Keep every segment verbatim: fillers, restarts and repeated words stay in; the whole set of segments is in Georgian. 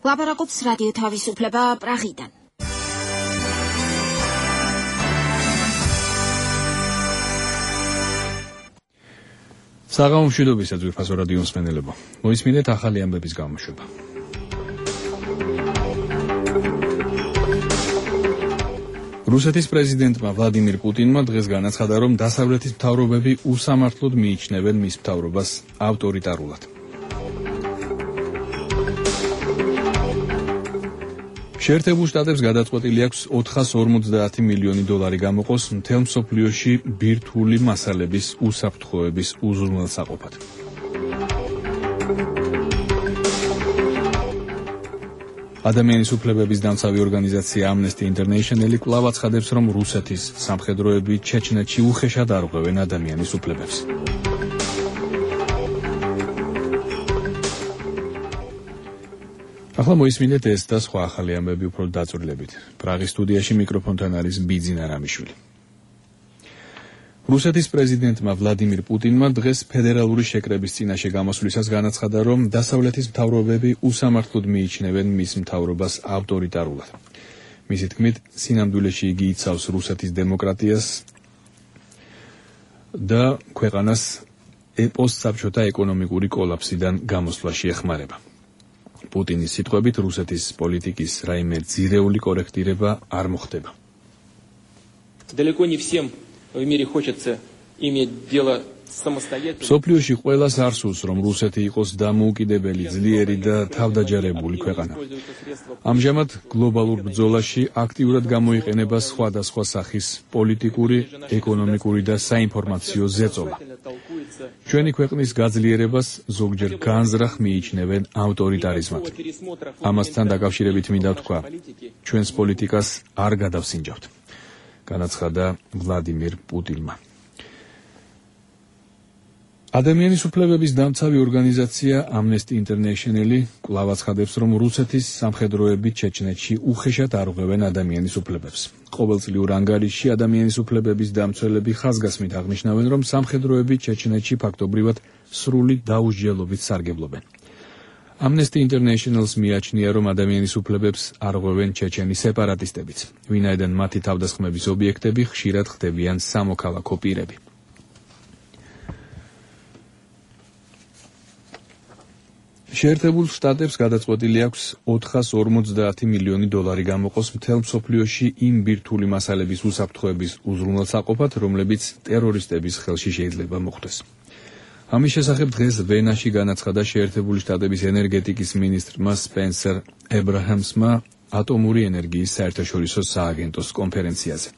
ლაპარაკობს რადიო თავისუფლება პრაღიდან. საღამო მშვიდობისა ძვირფასო რადიო მსმენელებო. მოისმინეთ ახალი ამბების გამოშვება. რუსეთის პრეზიდენტმა ვლადიმირ პუტინმა დღეს განაცხადა, რომ დასავლეთის მთავრობები უსამართლოდ მიიჩნევენ მის მთავრობას ავტორიტარულად. შეერთებულ შტატებს გადაწყვეტილი აქვს ოთხას ორმოცდაათი მილიონი დოლარი გამოყოს მთელ მსოფლიოში ბირთვული მასალების უსაფრთხოების უზრუნველსაყოფად. ადამიანის უფლებების დამცავი ორგანიზაცია Amnesty International კვლავ აცხადებს, რომ რუსეთის სამხედროები ჩეჩნეთში უხეშად არღვევენ ადამიანის უფლებებს. ახლა მოისმინეთ ეს და სხვა ახალი ამბები უფრო დაწვრილებით. პრაღის სტუდიაში მიკროფონთან არის ბიძინა რამიშვილი. რუსეთის პრეზიდენტმა ვლადიმირ პუტინმა დღეს ფედერალური შეკრების წინაშე გამოსვლისას განაცხადა, რომ დასავლეთის მთავრობები უსამართლოდ მიიჩნევენ მის მთავრობას ავტორიტარულად. მისი თქმით, სინამდვილეში იგი იცავს რუსეთის დემოკრატიას და ქვეყანას პოსტსაბჭოთა ეკონომიკური კოლაფსიდან გამოსვლაში ეხმარება. პუტინის სიტყვებით, რუსეთის პოლიტიკის რაიმე ძირეული კორექტირება არ მოხდება. Далеко не всем в мире хочется иметь дело с самостоятельным. სოფლიოში ყველას არ სურს, რომ რუსეთი იყოს დამოუკიდებელი, ძლიერი და თავდაჯერებული ქვეყანა. ამჟამად გლობალურ ბრძოლაში აქტიურად გამოიყენება სხვადასხვა სახის პოლიტიკური, ეკონომიკური და საინფორმაციო ზეწოლა. ჩვენი ქვეყნის გაძლიერებას ზოგჯერ განზრახ მიიჩნევენ ავტორიტარიზმად. ამასთან დაკავშირებით მინდა ვთქვა, ჩვენს პოლიტიკას არ გადავსინჯავთ, განაცხადა ვლადიმირ პუტინმა. ადამიანის უფლებების დამცავი ორგანიზაცია Amnesty International კვლავ აცხადებს, რომ რუსეთის სამხედროები ჩეჩნეთში უხეშად არღვევენ ადამიანის უფლებებს. ყოველწლიურ ანგარიშში ადამიანის უფლებების დამცველები ხაზგასმით აღნიშნავენ, რომ სამხედროები ჩეჩნეთში ფაქტობრივად სრული დაუსჯელობით სარგებლობენ. Amnesty International-ს მიაჩნია, რომ ადამიანის უფლებებს არღვევენ ჩეჩენი სეპარატისტებიც, ვინაიდან მათი თავდასხმების ობიექტები ხშირად ხდებიან სამოქალაქო პირები. შეერთებულ შტატებს გადაწყვეტილი აქვს ოთხას ორმოცდაათი მილიონი დოლარი გამოყოს მთელ მსოფლიოში იმ ბირთვული მასალების უსაფრთხოების უზრუნველსაყოფად, რომლებიც ტერორისტების ხელში შეიძლება მოხვდეს. ამის შესახებ დღეს ვენაში განაცხადა შეერთებული შტატების ენერგეტიკის მინისტრმა სპენსერ ებრაჰამსმა ატომური ენერგიის საერთაშორისო სააგენტოს კონფერენციაზე.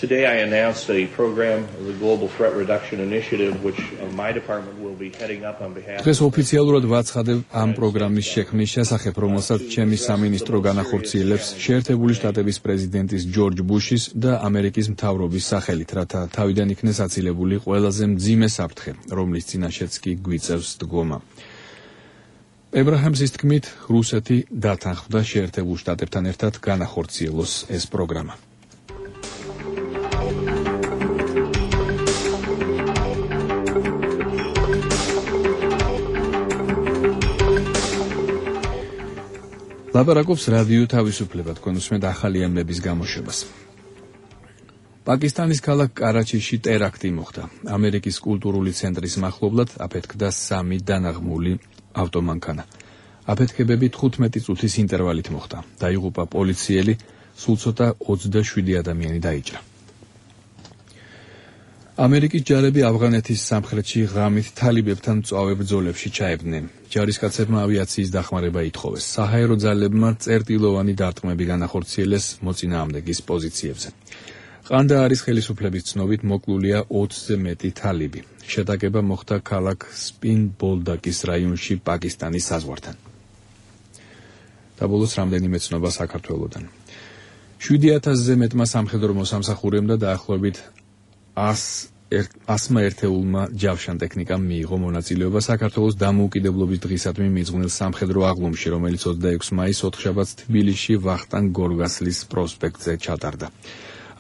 Today I announced a program, the Global Threat Reduction Initiative, which my department will be heading up on behalf of... დღეს ოფიციალურად ვაცხადებ ამ პროგრამის შექმნის შესახებ, რომელსაც ჩემი სამინისტრო განახორციელებს შეერთებული შტატების პრეზიდენტის ჯორჯ ბუშის და ამერიკის მთავრობის სახელით, რათა თავიდან იქნეს აცილებული ყველაზე მძიმე საფრთხე, რომლის წინაშეც კი გვიწევს დგომა. ებრაჰამსის თქმით, რუსეთი დათანხმდა შეერთებულ შტატებთან ერთად განახორციელოს ეს პროგრამა. ლაპარაკობს რადიო თავისუფლება, თქვენ უსმენთ ახალი ამბების გამოშვებას. პაკისტანის ქალაქ კარაჩიში ტერაქტი მოხდა. ამერიკის კულტურული ცენტრის მახლობლად აფეთქდა სამი დანაღმული ავტომანქანა. აფეთქებები თხუთმეტი წუთის ინტერვალით მოხდა. დაიღუპა პოლიციელი, სულ ცოტა ოცდაშვიდი ადამიანი დაიჭრა. ამერიკის ჯარები ავღანეთის სამხრეთში ღამით თალიბებთან მწვავე ბრძოლებში ჩაებდნენ. ჯარისკაცებმა ავიაციის დახმარება ითხოვეს. საჰაერო ძალებმა წერტილოვანი დარტყმები განახორციელეს მოწინააღმდეგის პოზიციებზე. ყანდაარის ხელისუფლების ცნობით მოკლულია ოცზე მეტი თალიბი. შეტაკება მოხდა ქალაქ სპინ-ბოლდაკის რაიონში პაკისტანის საზღვართან. და ბოლოს რამდენიმე ცნობა საქართველოდან. შვიდი ათასზე მეტმა სამხედრო მოსამსახურემ და დაახლოებით ასმა ერთეულმა ჯავშან ტექნიკამ მიიღო მონაწილეობა საქართველოს დამოუკიდებლობის დღისადმი მიძღვნილ სამხედრო აღლუმში, რომელიც ოცდაექვსი მაისს ოთხშაბათს თბილისში ვახტანგ გორგასლის პროსპექტზე ჩატარდა.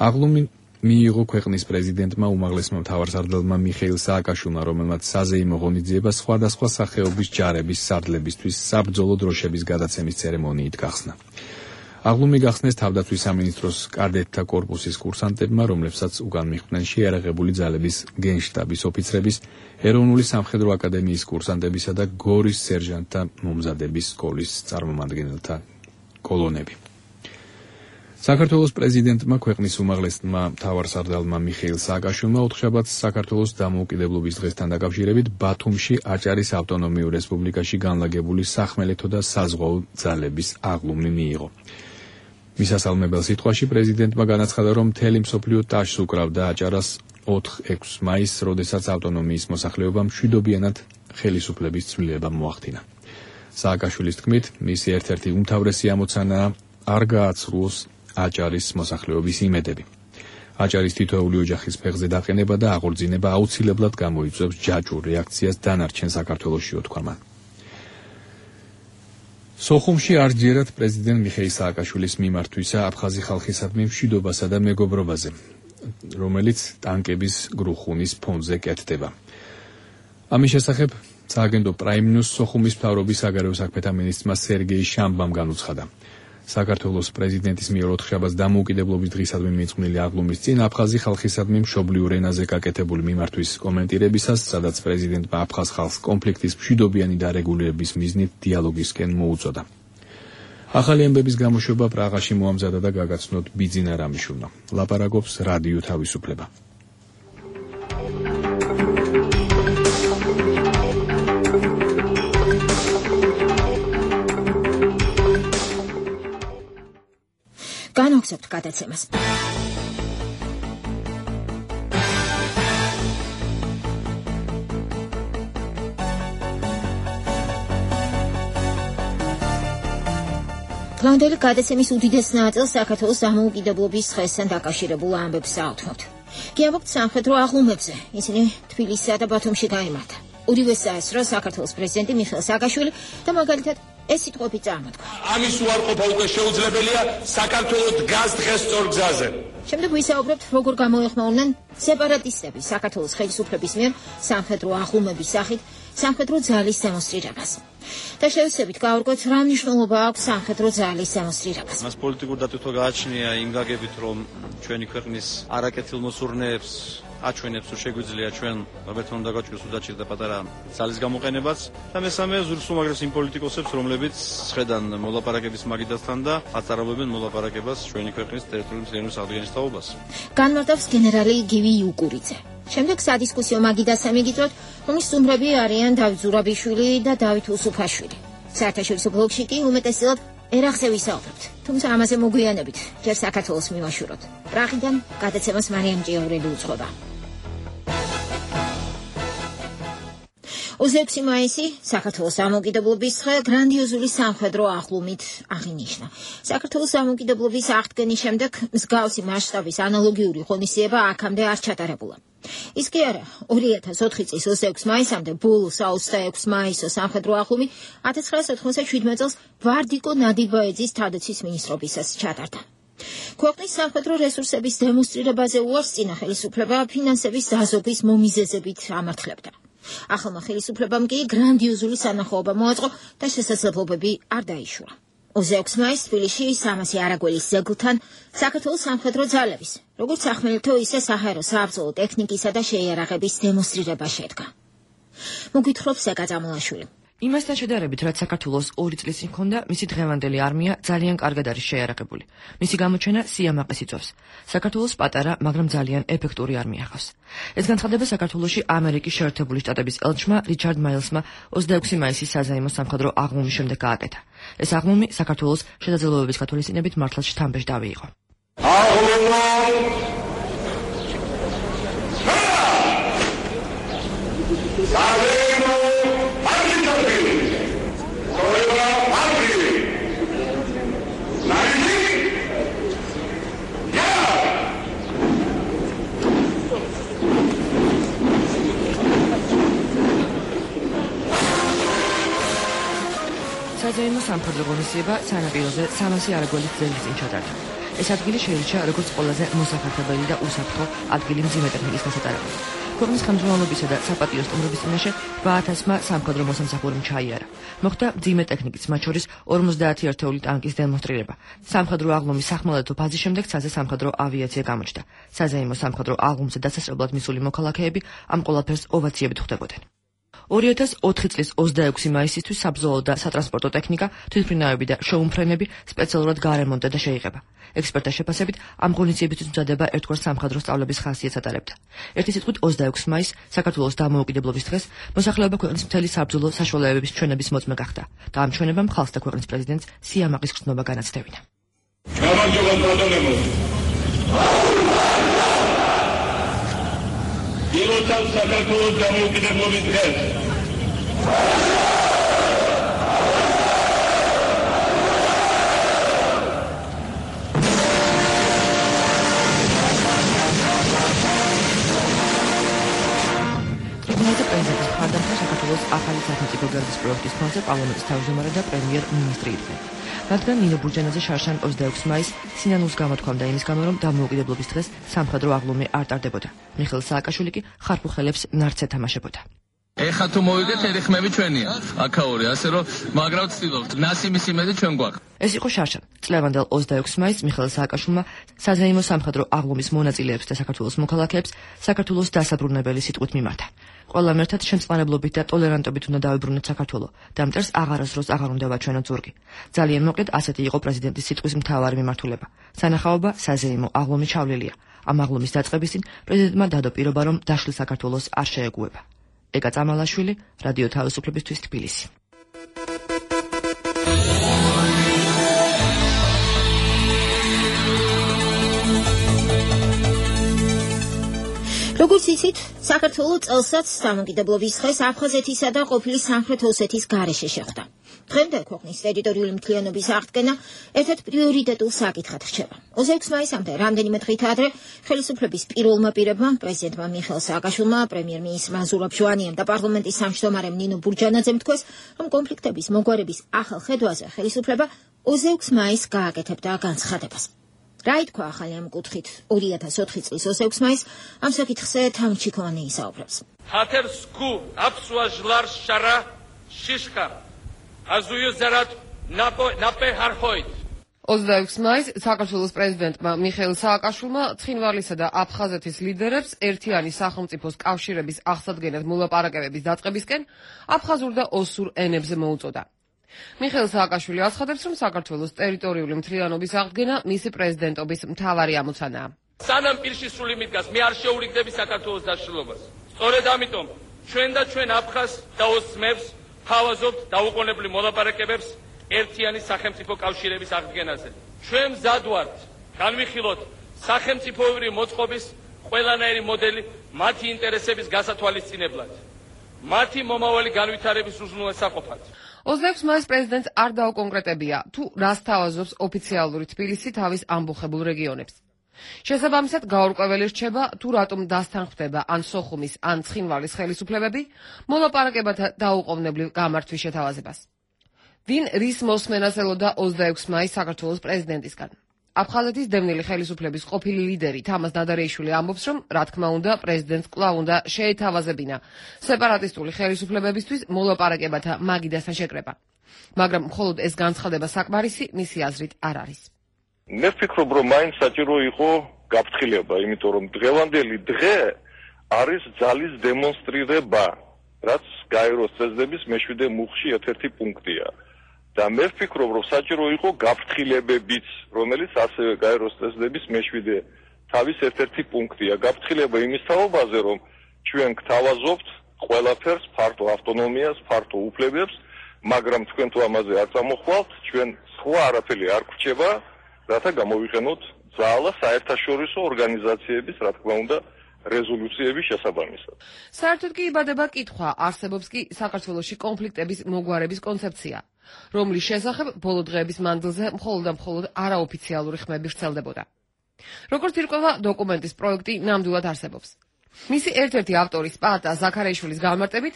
აღლუმი მიიღო ქვეყნის პრეზიდენტმა უმაღლესმა მთავარსარდალმა მიხეილ სააკაშვილმა, რომელმაც საზეიმო ღონისძიება სხვადასხვა სახეობის ჯარების სარდლებისთვის საბრძოლო დროშების გადაცემის ცერემონიით გახსნა. აღლუმი გახსნეს თავდაცვის სამინისტროს კადეტთა კორპუსის კურსანტებმა, რომლებსაც უკან მიხვდნენ შეიარაღებული ძალების გენშტაბის ოფიცრების, ეროვნული სამხედრო აკადემიის კურსანტებისა და გორის სერჟანტთა მომზადების სკოლის წარმომადგენელთა კოლონები. საქართველოს პრეზიდენტმა ქვეყნის უმაღლესმა მთავარსარდალმა მიხეილ სააკაშვილმა ოთხშაბათს საქართველოს დამოუკიდებლობის დღესთან დაკავშირებით ბათუმში აჭარის ავტონომიურ რესპუბლიკაში განლაგებული სახმელეთო და საზღვაო ძალების აღლუმი მიიღო. მისასალმებელ სიტყვაში პრეზიდენტმა განაცხადა, რომ მთელი მსოფლიო ტაშს უკრავდა აჭარას ოთხ ექვსი მაისს, როდესაც ავტონომიის მოსახლეობამ მშვიდობიანად ხელისუფლების ცვლილება მოახდინა. სააკაშვილის თქმით, მისი ერთ-ერთი უმთავრესი ამოცანაა არ გააცრუოს აჭარის მოსახლეობის იმედები. აჭარის თითოეული ოჯახის ფეხზე დაყენება და აღორძინება აუცილებლად გამოიწვევს ჯაჭვურ რეაქციას დანარჩენ საქართველოში, უთქვა მან. სოხუმში არჯერად პრეზიდენტ მიხეილ სააკაშვილის მიმართვისა აფხაზი ხალხისადმი მშვიდობასა და მეგობრობაზე, რომელიც ტანკების გრუხუნის ფონზე კეთდება. ამის შესახებ სააგენტო პრაიმ ნიუს სოხუმის მთავრობის საგარეო საქმეთა მინისტრმა სერგეი შამბამ განუცხადა. საქართველოს პრეზიდენტის მიერ ოთხშაბათს დამოუკიდებლობის დღისადმი მიწყვნილი აღლუმის წინ აფხაზი ხალხისადმი მშობლიურ ენაზე გაკეთებული მიმართვის კომენტირებისას, სადაც პრეზიდენტმა აფხაზ ხალხს კონფლიქტის მშვიდობიანი დარეგულირების მიზნით დიალოგისკენ მოუწოდა. ახალი ამბების გამოშვება პრაღაში მოამზადა და გაგაცნოთ ბიძინა რამიშვილმა. ლაპარაკობს რადიო თავისუფლება. განვაგზავნოთ გადაცემას. დღევანდელი გადაცემის უდიდეს ნაწილს საქართველოს დამოუკიდებლობის დღესთან დაკავშირებულ ამბებს ავთმობთ. გიამბობთ სამხედრო აღლუმებზე. ისინი თბილისსა და ბათუმში გაიმართა. უდივეს საესწრო საქართველოს პრეზიდენტი მიხეილ სააკაშვილი და მაგალითად ეს სიტყვები წარმოთქვა. ამის უარყოფა უკვე შეუძლებელია საქართველოს დგას დღეს სწორ გზაზე. შემდეგ ვისაუბრებთ, როგორ გამოეხმაურნენ სეპარატისტები საქართველოს ხელისუფლების მიერ სამხედრო აღლუმების სახით სამხედრო ძალის დემონსტრირებას. და შევეცდებით გავარკვევთ, რა მნიშვნელობა აქვს სამხედრო ძალის დემონსტრირებას. მას პოლიტიკურ დატვირთვა გააჩნია იმ გაგებით, რომ ჩვენი ქვეყნის არაკეთილ მოსურნეებს აჩვენებს, რომ შეგვიძლია ჩვენ რობერტ უნდა გაჭიროს უდაჭირ და პატარა ძალის გამოყენებაც და მესამე ზურგს უმაგრეს იმ პოლიტიკოსებს, რომლებიც ხედან მოლაპარაკების მაგიდასთან და აწარმოებენ მოლაპარაკებას ჩვენი ქვეყნის ტერიტორიული მთლიანობის აღდგენის თაობას. განმარტავს გენერალი გივი იუკურიძე. შემდეგ სადისკუსიო მაგიდასა მიგიწვევთ, რომლის სტუმრები არიან დავით ზურაბიშვილი და დავით უსუფაშვილი. საერთაშორისო ბლოგში კი უმეტესად ერახზე ვისაუბრებთ. თუმცა ამაზე მოგვიანებით, ჯერ საქართველოს მივაშუროთ. პრაღიდან გადაცემას მარიამ ჭიაურელი უძღვება. ოცდაექვსი მაისი საქართველოს დამოუკიდებლობის დღე გრანდიოზული სამხედრო აღლუმით აღინიშნა. საქართველოს დამოუკიდებლობის აღდგენის შემდეგ მსგავსი მასშტაბის ანალოგიური ღონისძიება აქამდე არ ჩატარებულა. ის კი არა, ორი ათას ოთხი წლის ოცდაექვსი მაისამდე ბოლოს ოცდაექვსი მაისო სამხედრო აღლუმი ათას ცხრაასა ოცდაშვიდმეტ წელს ვარდიკო ნადიბაეძის თავდაცვის მინისტრობისას ჩატარდა. ქვეყნის სამხედრო რესურსების დემონსტრირებაზე უარს წინა ხელისუფლება ფინანსების დაზოგვის მომიზეზებით ამართლებდა. ახალმა ხელისუფლებამ კი გრანდიოზული სანახაობა მოაწყო და შესაძლებლობები არ დაიშურა. ოცდაექვსი მაისს თბილისში სამასი არაგველის ძეგლთან საქართველოს სამხედრო ძალების, როგორც სახმელეთო, ისე საჰაერო საბრძოლო ტექნიკისა და შეიარაღების დემონსტრირება შედგა. მოგვითხრობს ზეკა წამულაშვილი. იმასთან შედარებით, რაც საქართველოს ორი წლის წინ ჰქონდა, მისი დღევანდელი არმია ძალიან კარგად არის შეიარაღებული. მისი გამოჩენა სიამაყეს იწვევს. საქართველოს პატარა, მაგრამ ძალიან ეფექტური არმია ჰყავს. ეს განცხადება საქართველოში ამერიკის შეერთებული შტატების ელჩმა რიჩარდ მაილსმა ოცდაექვსი მაისის საზეიმო სამხედრო აღლუმის შემდეგ გააკეთა. ეს აღლუმი საქართველოს შესაძლებლობების გათვალისწინებით მართლაც შთამბეჭ დავიიღო. საზეიმო სამხედრო ღონისძიება სანაპიროზე სამასი არაგველის ძეგლის წინ ჩატარდა. ეს ადგილი შეირჩა როგორც ყველაზე მოსახერხებელი და უსაფრთხო ადგილი მძიმე ტექნიკის გასატარებლად. ქვეყნის ხელმძღვანელობისა და საპატიო სტუმრობის წინაშე რვა ათასმა სამხედრო მოსამსახურემ ჩაიარა. მოხდა მძიმე ტექნიკის, მათ შორის ორმოცდაათი ერთეული ტანკის დემონსტრირება. სამხედრო აღლუმის სახმელეთო ფაზის შემდეგ ცაზე სამხედრო ავიაცია გამოჩნდა. საზეიმო სამხედრო აღლუმზე დასასწრებლად მისული მოქალაქეები ამ ყველაფერს ოვაციებით ხვდებოდნენ. ორი ათას ოთხი წლის ოცდაექვსი მაისისთვის საბრძოლო და სატრანსპორტო ტექნიკა, თვითმფრინავები და შოუმფრენები სპეციალურად გაარემონტდა და შეიღება. ექსპერტთა შეფასებით, ამ ღონისძიებისთვის მზადება ერთგვარ სამხედრო სწავლების ხასიათს ატარებდა. ერთი სიტყვით ოცდაექვსი მაისს, საქართველოს დამოუკიდებლობის დღეს, მოსახლეობა ქვეყნის მთელი საბრძოლო საშუალებების ჩვენების მოწმე გახდა და ამ ჩვენებამ ხალხს და ქვეყნის პრეზიდენტს სიამაყის გრძნობა განაცდევინა. გამარჯობა ბატონებო. ილოცავ საქართველოს დამოუკიდებლობის დღეს. ტრიბუნაზე პრეზიდენტის მხარდამხარ საქართველოს ახალი სახელმწიფო გერბის პროექტის ფონზე პარლამენტის თავმჯდომარე და პრემიერ-მინისტრი იყვნენ. რადგან ნინო ბურჯანაძე შარშან ოცდაექვსი მაისს სინანულს გამოთქვამდა იმის გამო, რომ დამოუკიდებლობის დღეს სამხედრო აღლუმი არ ტარდებოდა. მიხეილ სააკაშვილი კი ხარფულ ხელებს ნარცე თამაშებოდა. ეხა თუ მოვიგეთ ერიხმები ჩვენია. აქაური, ასე რომ მაგრად ვცდილობთ. ნასიმის იმედი ჩვენ გვაქვს. ეს იყო შარშან. წლევანდელ ოცდაექვსი მაისს მიხეილ სააკაშვილმა საზეიმო სამხედრო აღლუმის მონაწილეებს და საქართველოს მოქალაქეებს საქართველოს დასაბრუნებელი სიტყვით მიმართა. ყველამ ერთად შემწყნარებლობით და ტოლერანტობით უნდა დავიბრუნოთ საქართველო და მტერს აღარასდროს აღარ უნდა ვაჩვენოთ ზურგი. ძალიან მოკლედ ასეთი იყო პრეზიდენტის სიტყვის მთავარი მიმართულება. სანახაობა საზეიმო აღლუმი ჩავლილია. ამ აღლუმის დაწყების წინ პრეზიდენტმა დადო პირობა, რომ დაშლილ საქართველოს არ შეეგუება. ეკა წამალაშვილი, რადიო თავისუფლებისთვის თბილისი. როგორც იცით, საქართველოს წელსაც დამოუკიდებლობის დღეს აფხაზეთისა და ყოფილი სამხრეთ ოსეთის გარეშე შეხვდა. დღემდე ქვეყნის ტერიტორიული მთლიანობის აღდგენა ერთ-ერთ პრიორიტეტულ საკითხად რჩება. ოცდაექვსი მაისამდე რამდენიმე დღით ადრე ხელისუფლების პირველმა პირებმა, პრეზიდენტმა მიხეილ სააკაშვილმა, პრემიერ-მინისტრმა ზურაბ ჟვანიამ და პარლამენტის სამშვიდობარემ ნინო ბურჯანაძემ თქვეს, რომ კონფლიქტების მოგვარების ახალ ხედვაზე ხელისუფლება ოცდაექვსი მაისს გააკეთებდა განცხადებას. რა ითქვა ახალი ამ კუთხით ორი ათას ოთხი წლის ოცდაექვსი მაისს ამ საკითხზე თამჩიქოვანი ისაუბრებს. ჰათერსკუ აფსუაჟლარ შარა შიშხა აზუიო ზარად ნაპე ჰარხოით. ოცდაექვსი მაისს საქართველოს პრეზიდენტმა მიხეილ სააკაშვილმა ცხინვალისა და აფხაზეთის ლიდერებს ერთიანი სახელმწიფოს კავშირების აღსადგენად მოლაპარაკებების დაწყებისკენ აფხაზურ და ოსურ ენებზე მოუწოდა. მიხეილ სააკაშვილი აცხადებს, რომ საქართველოს ტერიტორიული მთლიანობის აღდგენა მისი პრეზიდენტობის მთავარი ამოცანაა. სანამ პირში სული მიდგას, მე არ შეურიგდები საქართველოს დაშლილობას. სწორედ ამიტომ ჩვენ და ჩვენ აფხაზ და ოსმებს თავაზობთ დაუყოვნებლივ მოლაპარაკებებს ერთიანი სახელმწიფო კავშირების აღდგენაზე. ჩვენ მზად ვართ განვიხილოთ სახელმწიფოებრივი მოწყობის ყველანაირი მოდელი მათი ინტერესების გასათვალისწინებლად, მათი მომავალი განვითარების უზრუნველსაყოფად. ოცდაექვსი მაისს პრეზიდენტს არ დაუკონკრეტებია, თუ რას თავაზობს ოფიციალური თბილისი თავის ამბოხებულ რეგიონებს. შესაბამისად, გაურკვეველი რჩება, თუ რატომ დასთანხმდება ან სოხუმის, ან ცხინვალის ხელისუფლებები მოლაპარაკებათა დაუყოვნებლივ გამართვის შეთავაზებას. ვინ რის მოსმენას ელოდა ოცდაექვსი მაისს საქართველოს პრეზიდენტისგან? აფხაზეთის დევნილი ხელისუფლების ყოფილი ლიდერი თამაზ ნადარეიშვილი ამბობს, რომ რა თქმა უნდა პრეზიდენტს კვლავ უნდა შეეთავაზებინა სეპარატისტული ხელისუფლებებისთვის მოლაპარაკებათა მაგიდასთან შეკრება. მაგრამ მხოლოდ ეს განცხადება საკმარისი მისი აზრით არ არის. მე ვფიქრობ, რომ მაინც საჭირო იყო გაფრთხილება, იმიტომ რომ დღევანდელი დღე არის ძალის დემონსტრირება, რაც გაეროს წესდების მეშვიდე მუხში ერთ-ერთი პუნქტია. და მე ვფიქრობ, რომ საჭირო იყო გაფრთხილებებიც, რომელიც ასევე გაეროს წესდების მეშვიდე თავის ერთ-ერთი პუნქტია. გაფრთხილება იმის თაობაზე, რომ ჩვენ გთავაზობთ ყველაფერს, ფართო ავტონომიას, ფართო უფლებებს, მაგრამ თქვენ თუ ამაზე არ წამოხვალთ, ჩვენ სხვა არაფერი არ გვრჩება, რათა გამოვიყენოთ ძალა საერთაშორისო ორგანიზაციების, რა თქმა უნდა, რეზოლუციების შესაბამისად. საერთოდ კი იბადება კითხვა, არსებობს კი საქართველოში კონფლიქტების მოგვარების კონცეფცია, რომლის შესახებ ბოლო დღეების მანძილზე მხოლოდ და მხოლოდ არაოფიციალური ხმები ვრცელდებოდა. როგორც ირკვევა, დოკუმენტის პროექტი ნამდვილად არსებობს. მისი ერთ-ერთი ავტორი სპარტა ზაქარიაშვილის განმარტებით,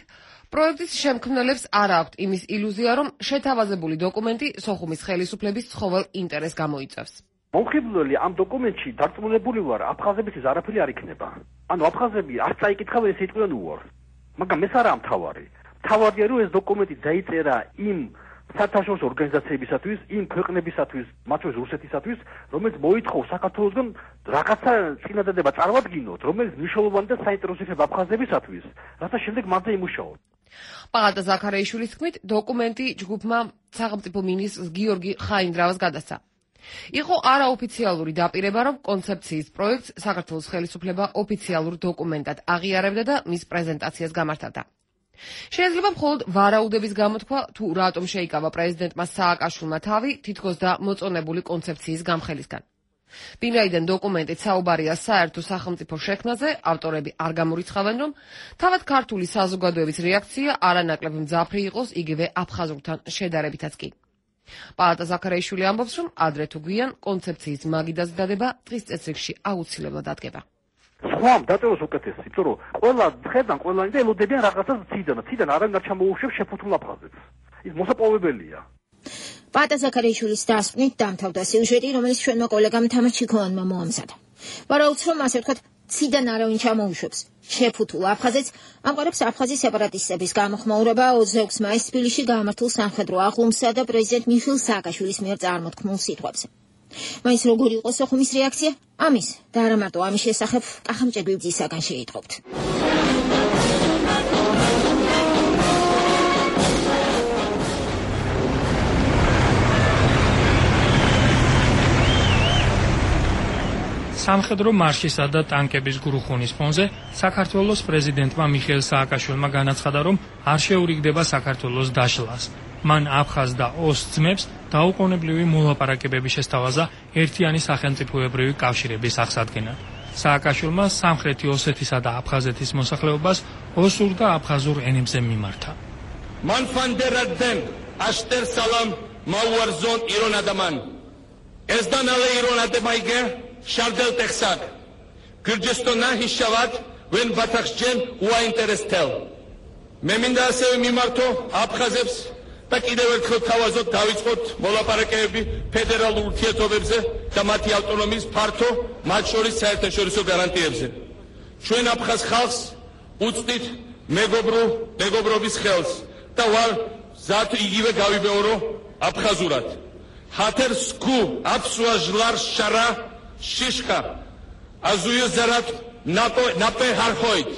პროექტის შემქმნელებს არ აქვთ იმის ილუზია, რომ შეთავაზებული დოკუმენტი სოხუმის ხელისუფლების ცხოველ ინტერესს გამოიწვევს. მომხიბვლელი ამ დოკუმენტში დარწმუნებული ვარ, აფხაზებისთვის არაფერი არ იქნება. ანუ აფხაზები არ წაიკითხავენ ეს იტყვიან უარ. მაგრამ ეს არა მთავარი. მთავარია რომ ეს დოკუმენტი დაიწერა იმ საერთაშორისო ორგანიზაციებისათვის, იმ ქვეყნებისათვის, მათ შორის რუსეთისათვის, რომელიც მოითხოვს საქართველოსგან რაღაცა წინადადება წარმოადგინოთ, რომელიც მნიშვნელოვანი და საინტერესო იქნება აფხაზებისათვის, რათა შემდეგ მათზე იმუშაოთ. პალატა ზაქარიაშვილის თქმით, დოკუმენტი ჯგუფმა სახელმწიფო მინისტრს გიორგი ხაინდრავას გადასცა. იყო არაოფიციალური დაპირება, რომ კონცეფციის პროექტს საქართველოს ხელისუფლება ოფიციალურ დოკუმენტად აღიარებდა და მის პრეზენტაციას გამართავდა. შეიძლება მხოლოდ ვარაუდების გამოთქვა, თუ რატომ შეიკავა პრეზიდენტმა სააკაშვილმა თავი თითქოს და მოწონებული კონცეფციის გამხელისგან. ვინაიდან დოკუმენტით საუბარია საერთო სახელმწიფო შექმნაზე, ავტორები არ გამორიცხავენ, რომ თავად ქართული საზოგადოების რეაქცია არანაკლებ მძაფრი იყოს იგივე აფხაზურთან შედარებითაც კი. პალატა ზაქარიაშვილი ამბობს, რომ ადრე თუ გვიან კონცეფციის მაგიდაზე დადება დღის წესრიგში აუცილებლად დადგება. სხვამ დაწეროს უკეთესი, იმიტომ რომ ყველა ხედან ყველანი და ელოდებიან რაღაცას ციდან, ციდან არანაირ ჩამოუშვებს შეფუთულ აფხაზებს. ის მოსაპოვებელია. პალატა ზაქარიაშვილის დასკვნით დამთავრდა სიუჟეტი, რომელიც ჩვენმა კოლეგამ თამარ ჩიქოვანმა მოამზადა. ვარაუდს, რომ ასე ვთქვათ, ციდან არავინ ჩამოუშვებს შეფუთულ აფხაზეთს, ამყარებს აფხაზის სეპარატისტების გამოხმაურება ოცდაექვსი მაისს თბილისში გაამართულ სამხედრო აღლუმსა და პრეზიდენტ მიხეილ სააკაშვილის მიერ წარმოთქმულ სიტყვებზე. მაინც როგორი იყო სოხუმის რეაქცია? ამის და არა მარტო ამის შესახებ კახამ ჭეგვივძისაგან შეიტყობთ. სამხედრო მარშისა და ტანკების გრუხუნის ფონზე საქართველოს პრეზიდენტმა მიხეილ სააკაშვილმა განაცხადა, რომ არ შეურიგდება საქართველოს დაშლას. მან აფხაზ და ოს ძმებს დაუყოვნებლივი მოლაპარაკებების შესთავაზა ერთიანი სახელმწიფოებრივი კავშირების აღსადგენად. სააკაშვილმა სამხრეთი ოსეთისა და აფხაზეთის მოსახლეობას ოსურ და აფხაზურ ენებზე მიმართა. მან ფანდერადენ აშტერ სალამ მაუარზონ ირონადამან ეს დანალე ირონადემაიგე შარდელ ტეხსად გირჯესტონა ჰიშავად ვენ ბათახჯენ უაინტერესთელ მე მინდა ასევე მიმართო აფხაზებს და კიდევ ერთხელ თავაზობ დავიწყოთ მოლაპარაკებები ფედერალურ ურთიერთობებზე და მათი ავტონომიის ფართო, მათ შორის საერთაშორისო გარანტიებზე. ჩვენ აფხაზ ხალხს უწვდით მეგობრო მეგობრობის ხელს და ვარ ზათ იგივე გავიბეორო აფხაზურად. ჰათერ სკუ აფსუა ჟლარ შარა შიშკა აზუიო ზარატ ნაპო ნაპე ჰარხოით.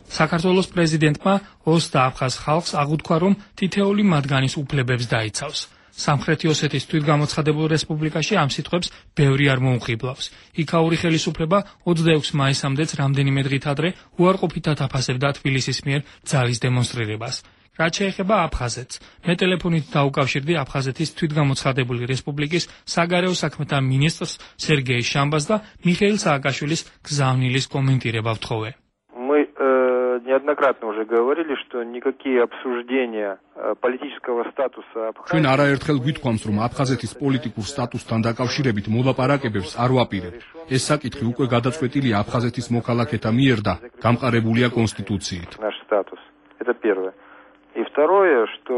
საქართველოს პრეზიდენტმა ოს და აფხაზ ხალხს აღუთქვა, რომ თითეული მათგანის უფლებებს დაიცავს. სამხრეთი ოსეთის თვითგამოცხადებულ რესპუბლიკაში ამ სიტყვებს ბევრი არ მოუხიბლავს. იქაური ხელისუფლება ოცდაექვსი მაისამდეც რამდენიმე დღით ადრე უარყოფითად აფასებდა თბილისის მიერ ძალის დემონსტრირებას. რაც შეეხება აფხაზეთს, მე ტელეფონით დაუკავშირდი აფხაზეთის თვითგამოცხადებული რესპუბლიკის საგარეო საქმეთა მინისტრს სერგეი შამბას და მიხეილ სააკაშვილის გზავნილის კომენტირება ვთხოვე. Неоднократно уже говорили, что никакие обсуждения политического статуса Абхазии. ჩვენ არაერთხელ გვითხოვს, რომ აფხაზეთის პოლიტიკურ სტატუსთან დაკავშირებით მოლაპარაკებებს არ ვაპირებ. ეს საკითხი უკვე გადაწყვეტილია აფხაზეთის მოქალაქეთა მიერ და გამყარებულია კონსტიტუციით. Наш статус. Это первое. И второе, что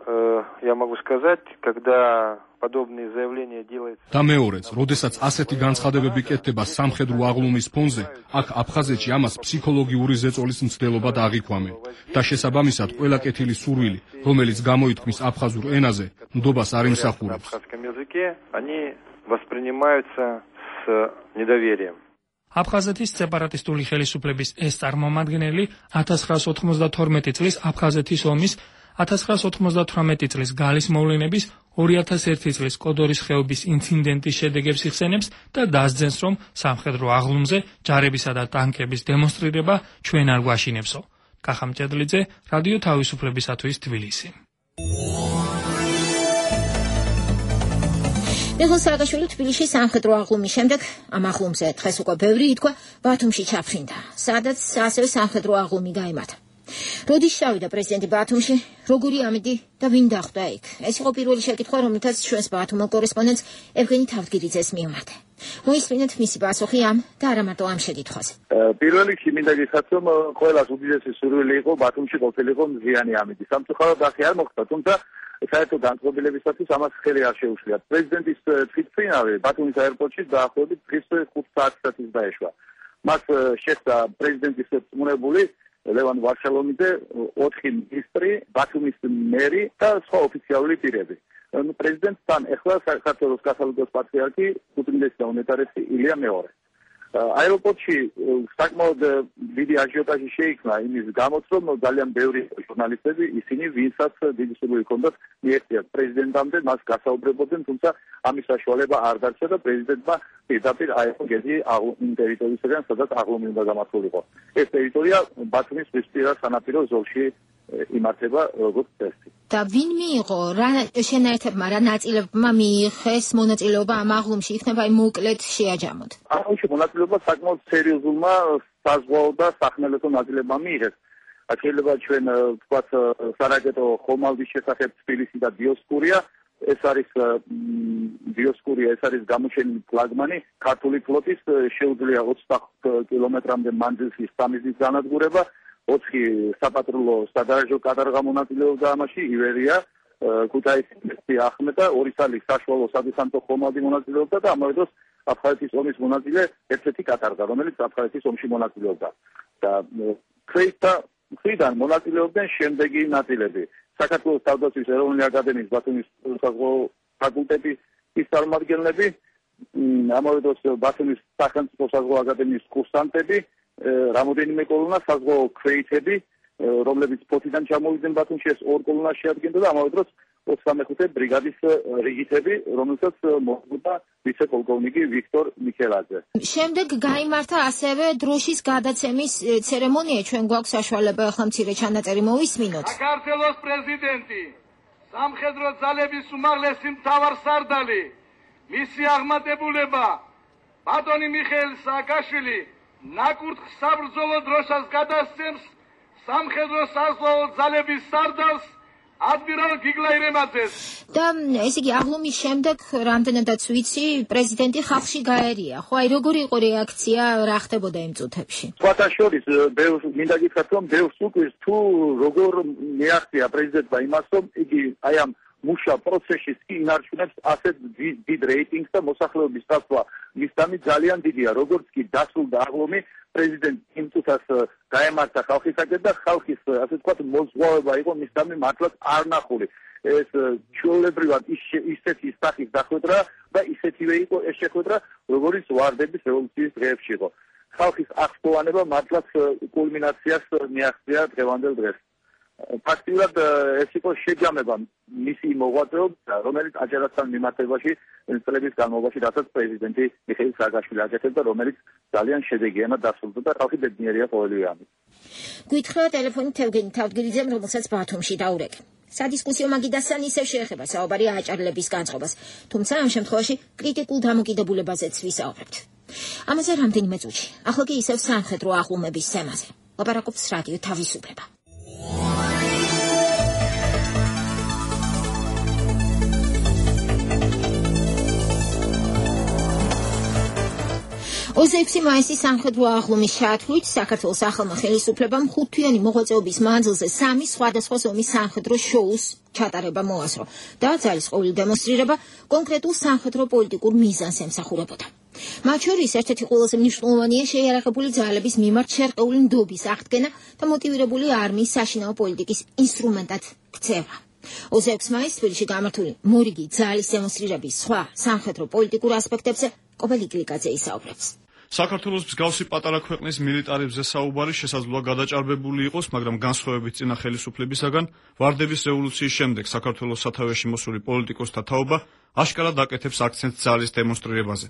э, я могу сказать, когда подобные заявления делаются. და მეორეც, როდესაც ასეთი განცხადებები კეთდება სამხედრო აღლუმის ფონზე, აქ აფხაზეთში ამას ფსიქოლოგიური ზეწოლის მცდელობა დააღიქვამენ და შესაბამისად ყველა კეთილი სურვილი, რომელიც გამოითქმის აფხაზურ ენაზე, ნდობას არ იმსახურებს. აფხაზეთის სეპარატისტული ხელისუფლების ეს წარმომადგენელი ათას ცხრაას ოთხმოცდათორმეტი წლის აფხაზეთის ომის, ათას ცხრაას ოთხმოცდათვრამეტი წლის გალის მოვლენების, ორი ათას ერთი წლის კოდორის ხეობის ინციდენტის შედეგებს იხსენებს და დასძენს, რომ სამხედრო აღლუმზე ჯარებისა და ტანკების დემონსტრირება ჩვენ არ გვაშინებსო. კახამ ჭედლიძე, რადიო თავისუფლებისათვის თბილისი. მიხეილ სააკაშვილი თბილისში სამხედრო აღლუმის შემდეგ ამ აღლუმზე დღეს უკვე ბევრი ითქვა ბათუმში ჩაფრინდა, სადაც ასევე სამხედრო აღლუმი გაიმართა. როდის შევიდა პრეზიდენტი ბათუმში, როგორი ამიდი და ვინ დახვდა იქ? ეს იყო პირველი შეკითხვა, რომლითაც ჩვენს ბათუმელ კორესპონდენტს ევგენი თავდგირიძეს მივმართ. მოისმინეთ მისი პასუხი ამ და არა მარტო ამ შეკითხვაზე. პირველ რიგში მინდა გითხრათ, რომ ყველას უდიდესი სურვილი იყო ბათუმში ყოფილიყო მზიანი ამიდი. სამწუხაროდ ახი არ მოხდა, თუმცა საერთო განწყობილებისათვის ამას ხელი არ შეუშლიათ. პრეზიდენტის თვითმფრინავი ბათუმის აეროპორტში დაახლოებით დღის ხუთ საათისათვის დაეშვა. მას შეხვდა პრეზიდენტის წმუნებული ლევან ვარშალომიძე, ოთხი მინისტრი, ბათუმის მერი და სხვა ოფიციალური პირები. პრეზიდენტთან ეხლა საქართველოს კათოლიკოს პატრიარქი უწმინდესი და უნეტარესი ილია მეორე. აეროპორტში საკმაოდ დიდი აჟიოტაჟი შეიქმნა იმის გამოც, რომ ძალიან ბევრი ჟურნალისტები ისინი, ვინცაც დიდი სურვილი ჰქონდათ მიეღწიათ პრეზიდენტამდე, მას გასაუბრებოდნენ, თუმცა ამის საშუალება არ დარჩა და პრეზიდენტმა პირდაპირ აიღო გეზი იმ ტერიტორიისგან, სადაც აღლუმი უნდა გამართულიყო. ეს ტერიტორია ბათუმის ზღვისპირა სანაპირო ზოლში იმართება როგორც წესი. და ვინ მიიღო რა შენაერთებმა რა ნაწილებმა მიიღეს მონაწილეობა ამ აღლუმში, იქნება იმ მოკლედ შეაჯამოთ. აღლუმში მონაწილეობა საკმაოდ სერიოზულმა საზღვაო და სახმელეთო ნაწილებმა მიიღეს. შეიძლება ჩვენ ვთქვათ სარაკეტო ხომალდის შესახებ თბილისი და დიოსკურია, ეს არის დიოსკურია, ეს არის გამოჩენილი ფლაგმანი ქართული ფლოტის, შეუძლია ოცდაოთხ კილომეტრამდე მანძილში სამიზის განადგურება. ოთხი საპატრულო სადარაჯო კადრღა მონაწილეობდა ამაში, ივერია, ქუთაისი, ახმეტა, ორი სალი საშუალო სადესანტო ხომალდი მონაწილეობდა და ამავე დროს აფხაზეთის ომის მონაწილე ერთ-ერთი კატარგა, რომელიც აფხაზეთის ომში მონაწილეობდა. და ქვეითთა მხრიდან მონაწილეობდნენ შემდეგი ნაწილები: საქართველოს თავდაცვის ეროვნული აკადემიის ბათუმის საზღვაო ფაკულტეტის წარმომადგენლები, ამავე დროს ბათუმის სახელმწიფო საზღვაო აკადემიის კურსანტები, რამოდენიმე კოლონა საზღვაო ქვეითები, რომლებიც ფოთიდან ჩამოვიდნენ ბათუმში, ეს ორ კოლონას შეადგენდა და ამავე დროს ოცდამეხუთე ბრიგადის რიგითები, რომელსაც მოჰყვა ვიცე-პოლკოვნიკი ვიქტორ მიქელაძე. შემდეგ გაიმართა ასევე დროშის გადაცემის ცერემონია, ჩვენ გვაქვს საშუალება ახლა მცირე ჩანაწერი მოვისმინოთ. საქართველოს პრეზიდენტი, სამხედრო ძალების უმაღლესი მთავარსარდალი, მისი აღმატებულება ბატონი მიხეილ სააკაშვილი ნაკურთხ საბრძოლო დროშას გადასცემს სამხედრო საზღვაო ძალების სარდალს ადმირალ გიგლაი რემაძეს. და ეს იგი აღლუმის შემდეგ რამდენადაც ვიცი, პრეზიდენტი ხალხში გაერია. ხო, აი როგორი იყო რეაქცია, რა ხდებოდა იმ წუთებში? სხვათა შორის, ბევრს მინდა გითხრათ, რომ ბევრს უკვირს თუ როგორ მიაღწია პრეზიდენტმა იმას, რომ იგი აი ამ მუშა პროცესში კი ინარჩუნებს ასეთ დიდ რეიტინგს და მოსახლეობის წასვლა მისდამი ძალიან დიდია. როგორც კი დასრულდა აღლუმი, პრეზიდენტი იმ წუთას გაემართა ხალხისაკენ და ხალხის, ასე ვთქვათ, მოზღვავება იყო მისდამი მართლაც არნახული. ეს ჩვეულებრივად ისეთი სახის დახვედრა და ისეთივე იყო ეს შეხვედრა, როგორც ვარდების რევოლუციის დღეებში იყო. ხალხის აღსტოვანება მართლაც კულმინაციას მიაღწია დღევანდელ დღეს. ფაქტიურად ეს იყო შეჯამება მისი მოღვაწეობა, რომელიც აჯარასთან მიმართებაში წლების განმავლობაში, რასაც პრეზიდენტი მიხეილ სააკაშვილი აკეთებდა, რომელიც ძალიან შედეგიანად დასრულდა და ხალხი ბედნიერია ყოველივე ამით. გითხრა ტელეფონით ევგენი თავდგირიძემ, რომელსაც ბათუმში დაურეკე. სადისკუსიო მაგიდასთან ისევ შეეხება საუბარი აჭარლების განწყობას, თუმცა ამ შემთხვევაში კრიტიკულ დამოკიდებულებაზეც ვისაუბრებთ. ამაზე რამდენიმე წუთში. ახლა კი ისევ სამხედრო აღლუმების თემაზე. ლაპარაკობს რადიო თავისუფლება. ოცდაექვსი მაისის სამხედრო აღლუმის ჩათვლით საქართველოს ახალმა ხელისუფლებამ ხუთთვიანი მოღვაწეობის მანძილზე სამი სხვადასხვა ზომის სამხედრო შოუს ჩატარება მოასწრო და ძალისყრული დემონსტრირება კონკრეტულ სამხედრო პოლიტიკურ მიზანს ემსახურებოდა. მათ შორის ერთ-ერთი ყველაზე მნიშვნელოვანია შეიარაღებული ძალების მიმართ შერყეული ნდობის აღდგენა და მოტივირებული არმიის საშინაო პოლიტიკის ინსტრუმენტად ქცევა. ოცდაექვსი მაისს თბილისში გამართული მორიგი ძალის დემონსტრირების სხვა სამხედრო პოლიტიკურ ასპექტებზე კობელი გლიკაძე ისაუბრებს. საქართველოს მსგავსი პატარა ქვეყნის მილიტარებზე საუბარი შესაძლოა გადაჭარბებული იყოს, მაგრამ განსხვავებით წინა ხელისუფლებისაგან, ვარდების რევოლუციის შემდეგ საქართველოს სათავეში მოსული პოლიტიკოსთა თაობა აშკარად აკეთებს აქცენტს ძალის დემონსტრირებაზე.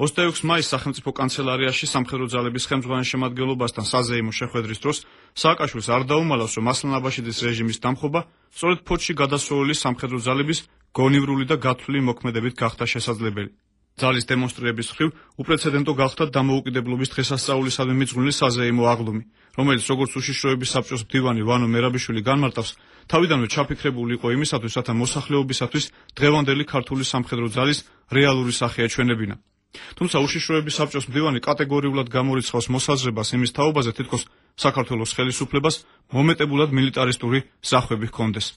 ოცდაექვსი მაისს სახელმწიფო კანცელარიაში სამხედრო ძალების ხელმძღვანელის შემადგენლობასთან საზეიმო შეხვედრის დროს სააკაშვილს არ დაუმალავს, რომ ასლან აბაშიძის რეჟიმის დამხობა სწორედ ფოთში გადასვლელი სამხედრო ძალების გონივრული და გათვლილი მოქმედებით გახდა შესაძლებელი. ძალის დემონსტრირების მხრივ უპრეცედენტო გახდა დამოუკიდებლობის დღესასწაულისადმი მიძღვნილი საზეიმო აღლუმი, რომელიც როგორც უშიშროების საბჭოს მდივანი ვანო მერაბიშვილი განმარტავს, თავიდანვე ჩაფიქრებული იყო იმისათვის, რათა მოსახლეობისათვის დღევანდელი ქართული სამხედრო ძალის რეალური სახე ეჩვენებინა. თუმცა უშიშროების საბჭოს მდივანი კატეგორიულად გამორიცხავს მოსაზრებას იმის თაობაზე, თითქოს საქართველოს ხელისუფლებას მომეტებულად მილიტარისტური სახვები ჰქონდეს.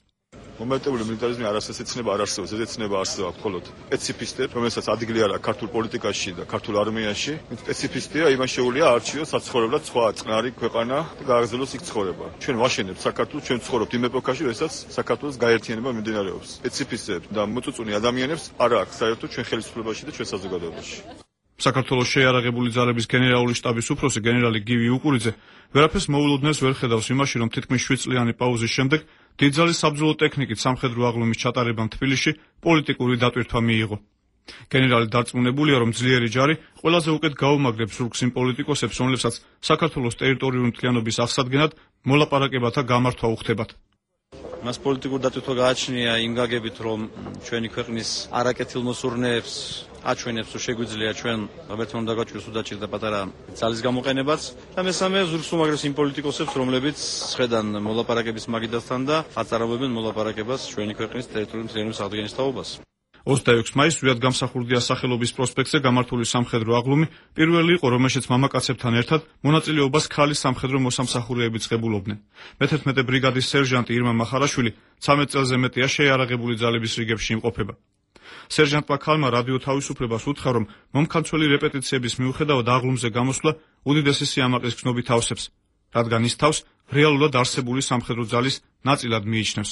მომენტებული მილიტარიზმი არასდროს ეცნება არ არსებობს, ეს ეცნება არსებობს მხოლოდ სპეციფისტებს, რომელსაც ადგილი არა ქართულ პოლიტიკაში და ქართულ არმიაში. სპეციფისტია, იმას შეუძლია არჩიოს საცხოვრებლად სხვა წყნარი ქვეყანა და გააგრძელოს იქ ცხოვრება. ჩვენ ვაშენებთ საქართველოს, ჩვენ ცხოვრობთ იმ ეპოქაში, როდესაც საქართველოს გაერთიანება მიმდინარეობს. სპეციფისტებს და მოწუწუნე ადამიანებს არ აქვს საერთოდ ჩვენ ხელისუფლებაში და ჩვენ საზოგადოებაში. საქართველოს შეიარაღებული ძალების გენერალური შტაბის უფროსი გენერალი გივი უკურიძე ვერაფერს მოულოდნელს ვერ ხედავს იმაში, რომ თითქმის შვიდ წლიანი პაუზის შემდეგ დიდძალი საბრძოლო ტექნიკით სამხედრო აღლუმის ჩატარებამ თბილისში პოლიტიკური დატვირთვა მიიღო. გენერალი დარწმუნებულია, რომ ძლიერი ჯარი ყველაზე უკეთ გაუმაგრებს ზურგს იმ პოლიტიკოსებს, რომლებსაც საქართველოს ტერიტორიული მთლიანობის აღსადგენად მოლაპარაკებათა გამართვა უხდებათ. მას პოლიტიკური დატვირთვა გააჩნია იმ გაგებით, რომ ჩვენი ქვეყნის არაკეთილმოსურნეებს აჩვენებს, რომ შეგვიძლია ჩვენ რაბერტონ დაგაჭიროს უდაჭირდა პატარა ძალის გამოყენებაც და მესამე ზურგს უმაგრებს იმ პოლიტიკოსებს, რომლებიც ხედან მოლაპარაკების მაგიდასთან და აწარავებენ მოლაპარაკებას ჩვენი ქვეყნის ტერიტორიული მთლიანობის აღდგენის თაობას. ოცდაექვსი მაისს ზვიად გამსახურდია სახელობის პროსპექტზე გამართული სამხედრო აღლუმი პირველი იყო, რომელშიც მამაკაცებთან ერთად მონაწილეობას ქალის სამხედრო მოსამსახურეებიც ღებულობდნენ. მეთერთმეტე ბრიგადის სერჟანტი ირმა მახარაშვილი ცამეტ წელზე მეტია შეიარაღებული ძალების რიგებში იმყოფება. სერჟანტმა ქალმა რადიო თავისუფლებას უთხრა, რომ მომხანცველი რეპეტიციების მიუხედავად აღლუმზე გამოსვლა უდიდესი სიამაყის გზნობით ავსებს, რადგან ის თავს რეალურად არსებული სამხედრო ძალის ნაწილად მიიჩნევს.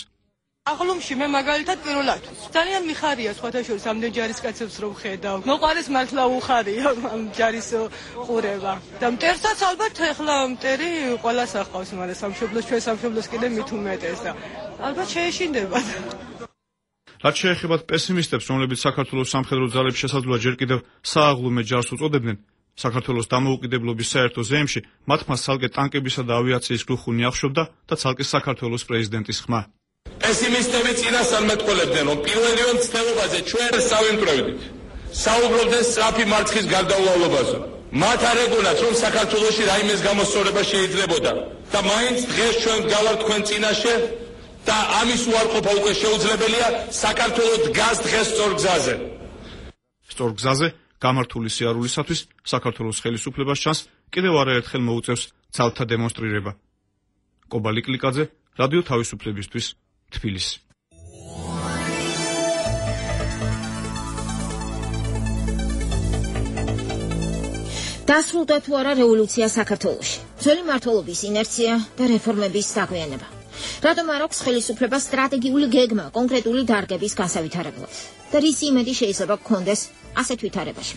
აღლუმში მე მაგალითად პირველად ძალიან მიხარია სხვათა შორის ამდენ ჯარისკაცებს რომ ხედავ. მოყარეს მართლა უხარია ამ ჯარის ყურება. და მტერსაც ალბათ ეხლა მტერი ყველას ახავს, მაგრამ სამშობლოს ჩვენ სამშობლოს კიდე მით უმეტეს და ალბათ შეეშინდება. რაც შეეხებათ პესიმისტებს, რომლებიც საქართველოს სამხედრო ძალებს შესაძლოა ჯერ კიდევ სააღლუმე ჯარს უწოდებდნენ, საქართველოს დამოუკიდებლობის საერთო ზეიმში მათმა ცალკე ტანკებისა და ავიაციის გლუხუნი აღშობდა და ცალკე საქართველოს პრეზიდენტის ხმა. პესიმისტები წინასწარმეტყველებდნენ, რომ პირველივე მცდელობაზე ჩვენ სავიმტვრევდით. საუბრობდნენ სწრაფი მარცხის გარდაუვალობაზე. მათ არ ეგონათ, რომ საქართველოში რაიმეს გამოსწორება შეიძლებოდა და მაინც დღეს ჩვენ გავართ თქვენ წინაშე და ამის უარყოფა უკვე შეუძლებელია. საქართველოს დგას დღეს სწორ გზაზე. სწორ გზაზე გამართული სიარულისათვის საქართველოს ხელისუფლებას ჩანს კიდევ არაერთხელ მოუწევს ძალთა დემონსტრირება. კობალი კლიკაძე, რადიო თავისუფლებისთვის, თბილისი. დასრულდა თუ არა რევოლუცია საქართველოში? ძველი მმართველობის ინერცია და რეფორმების საგვიანება. რატომ არ აქვს ხელისუფლებას სტრატეგიული გეგმა კონკრეტული დარგების განსავითარებლად? და რის იმედი შეიძლება გქონდეს ასეთ ვითარებაში?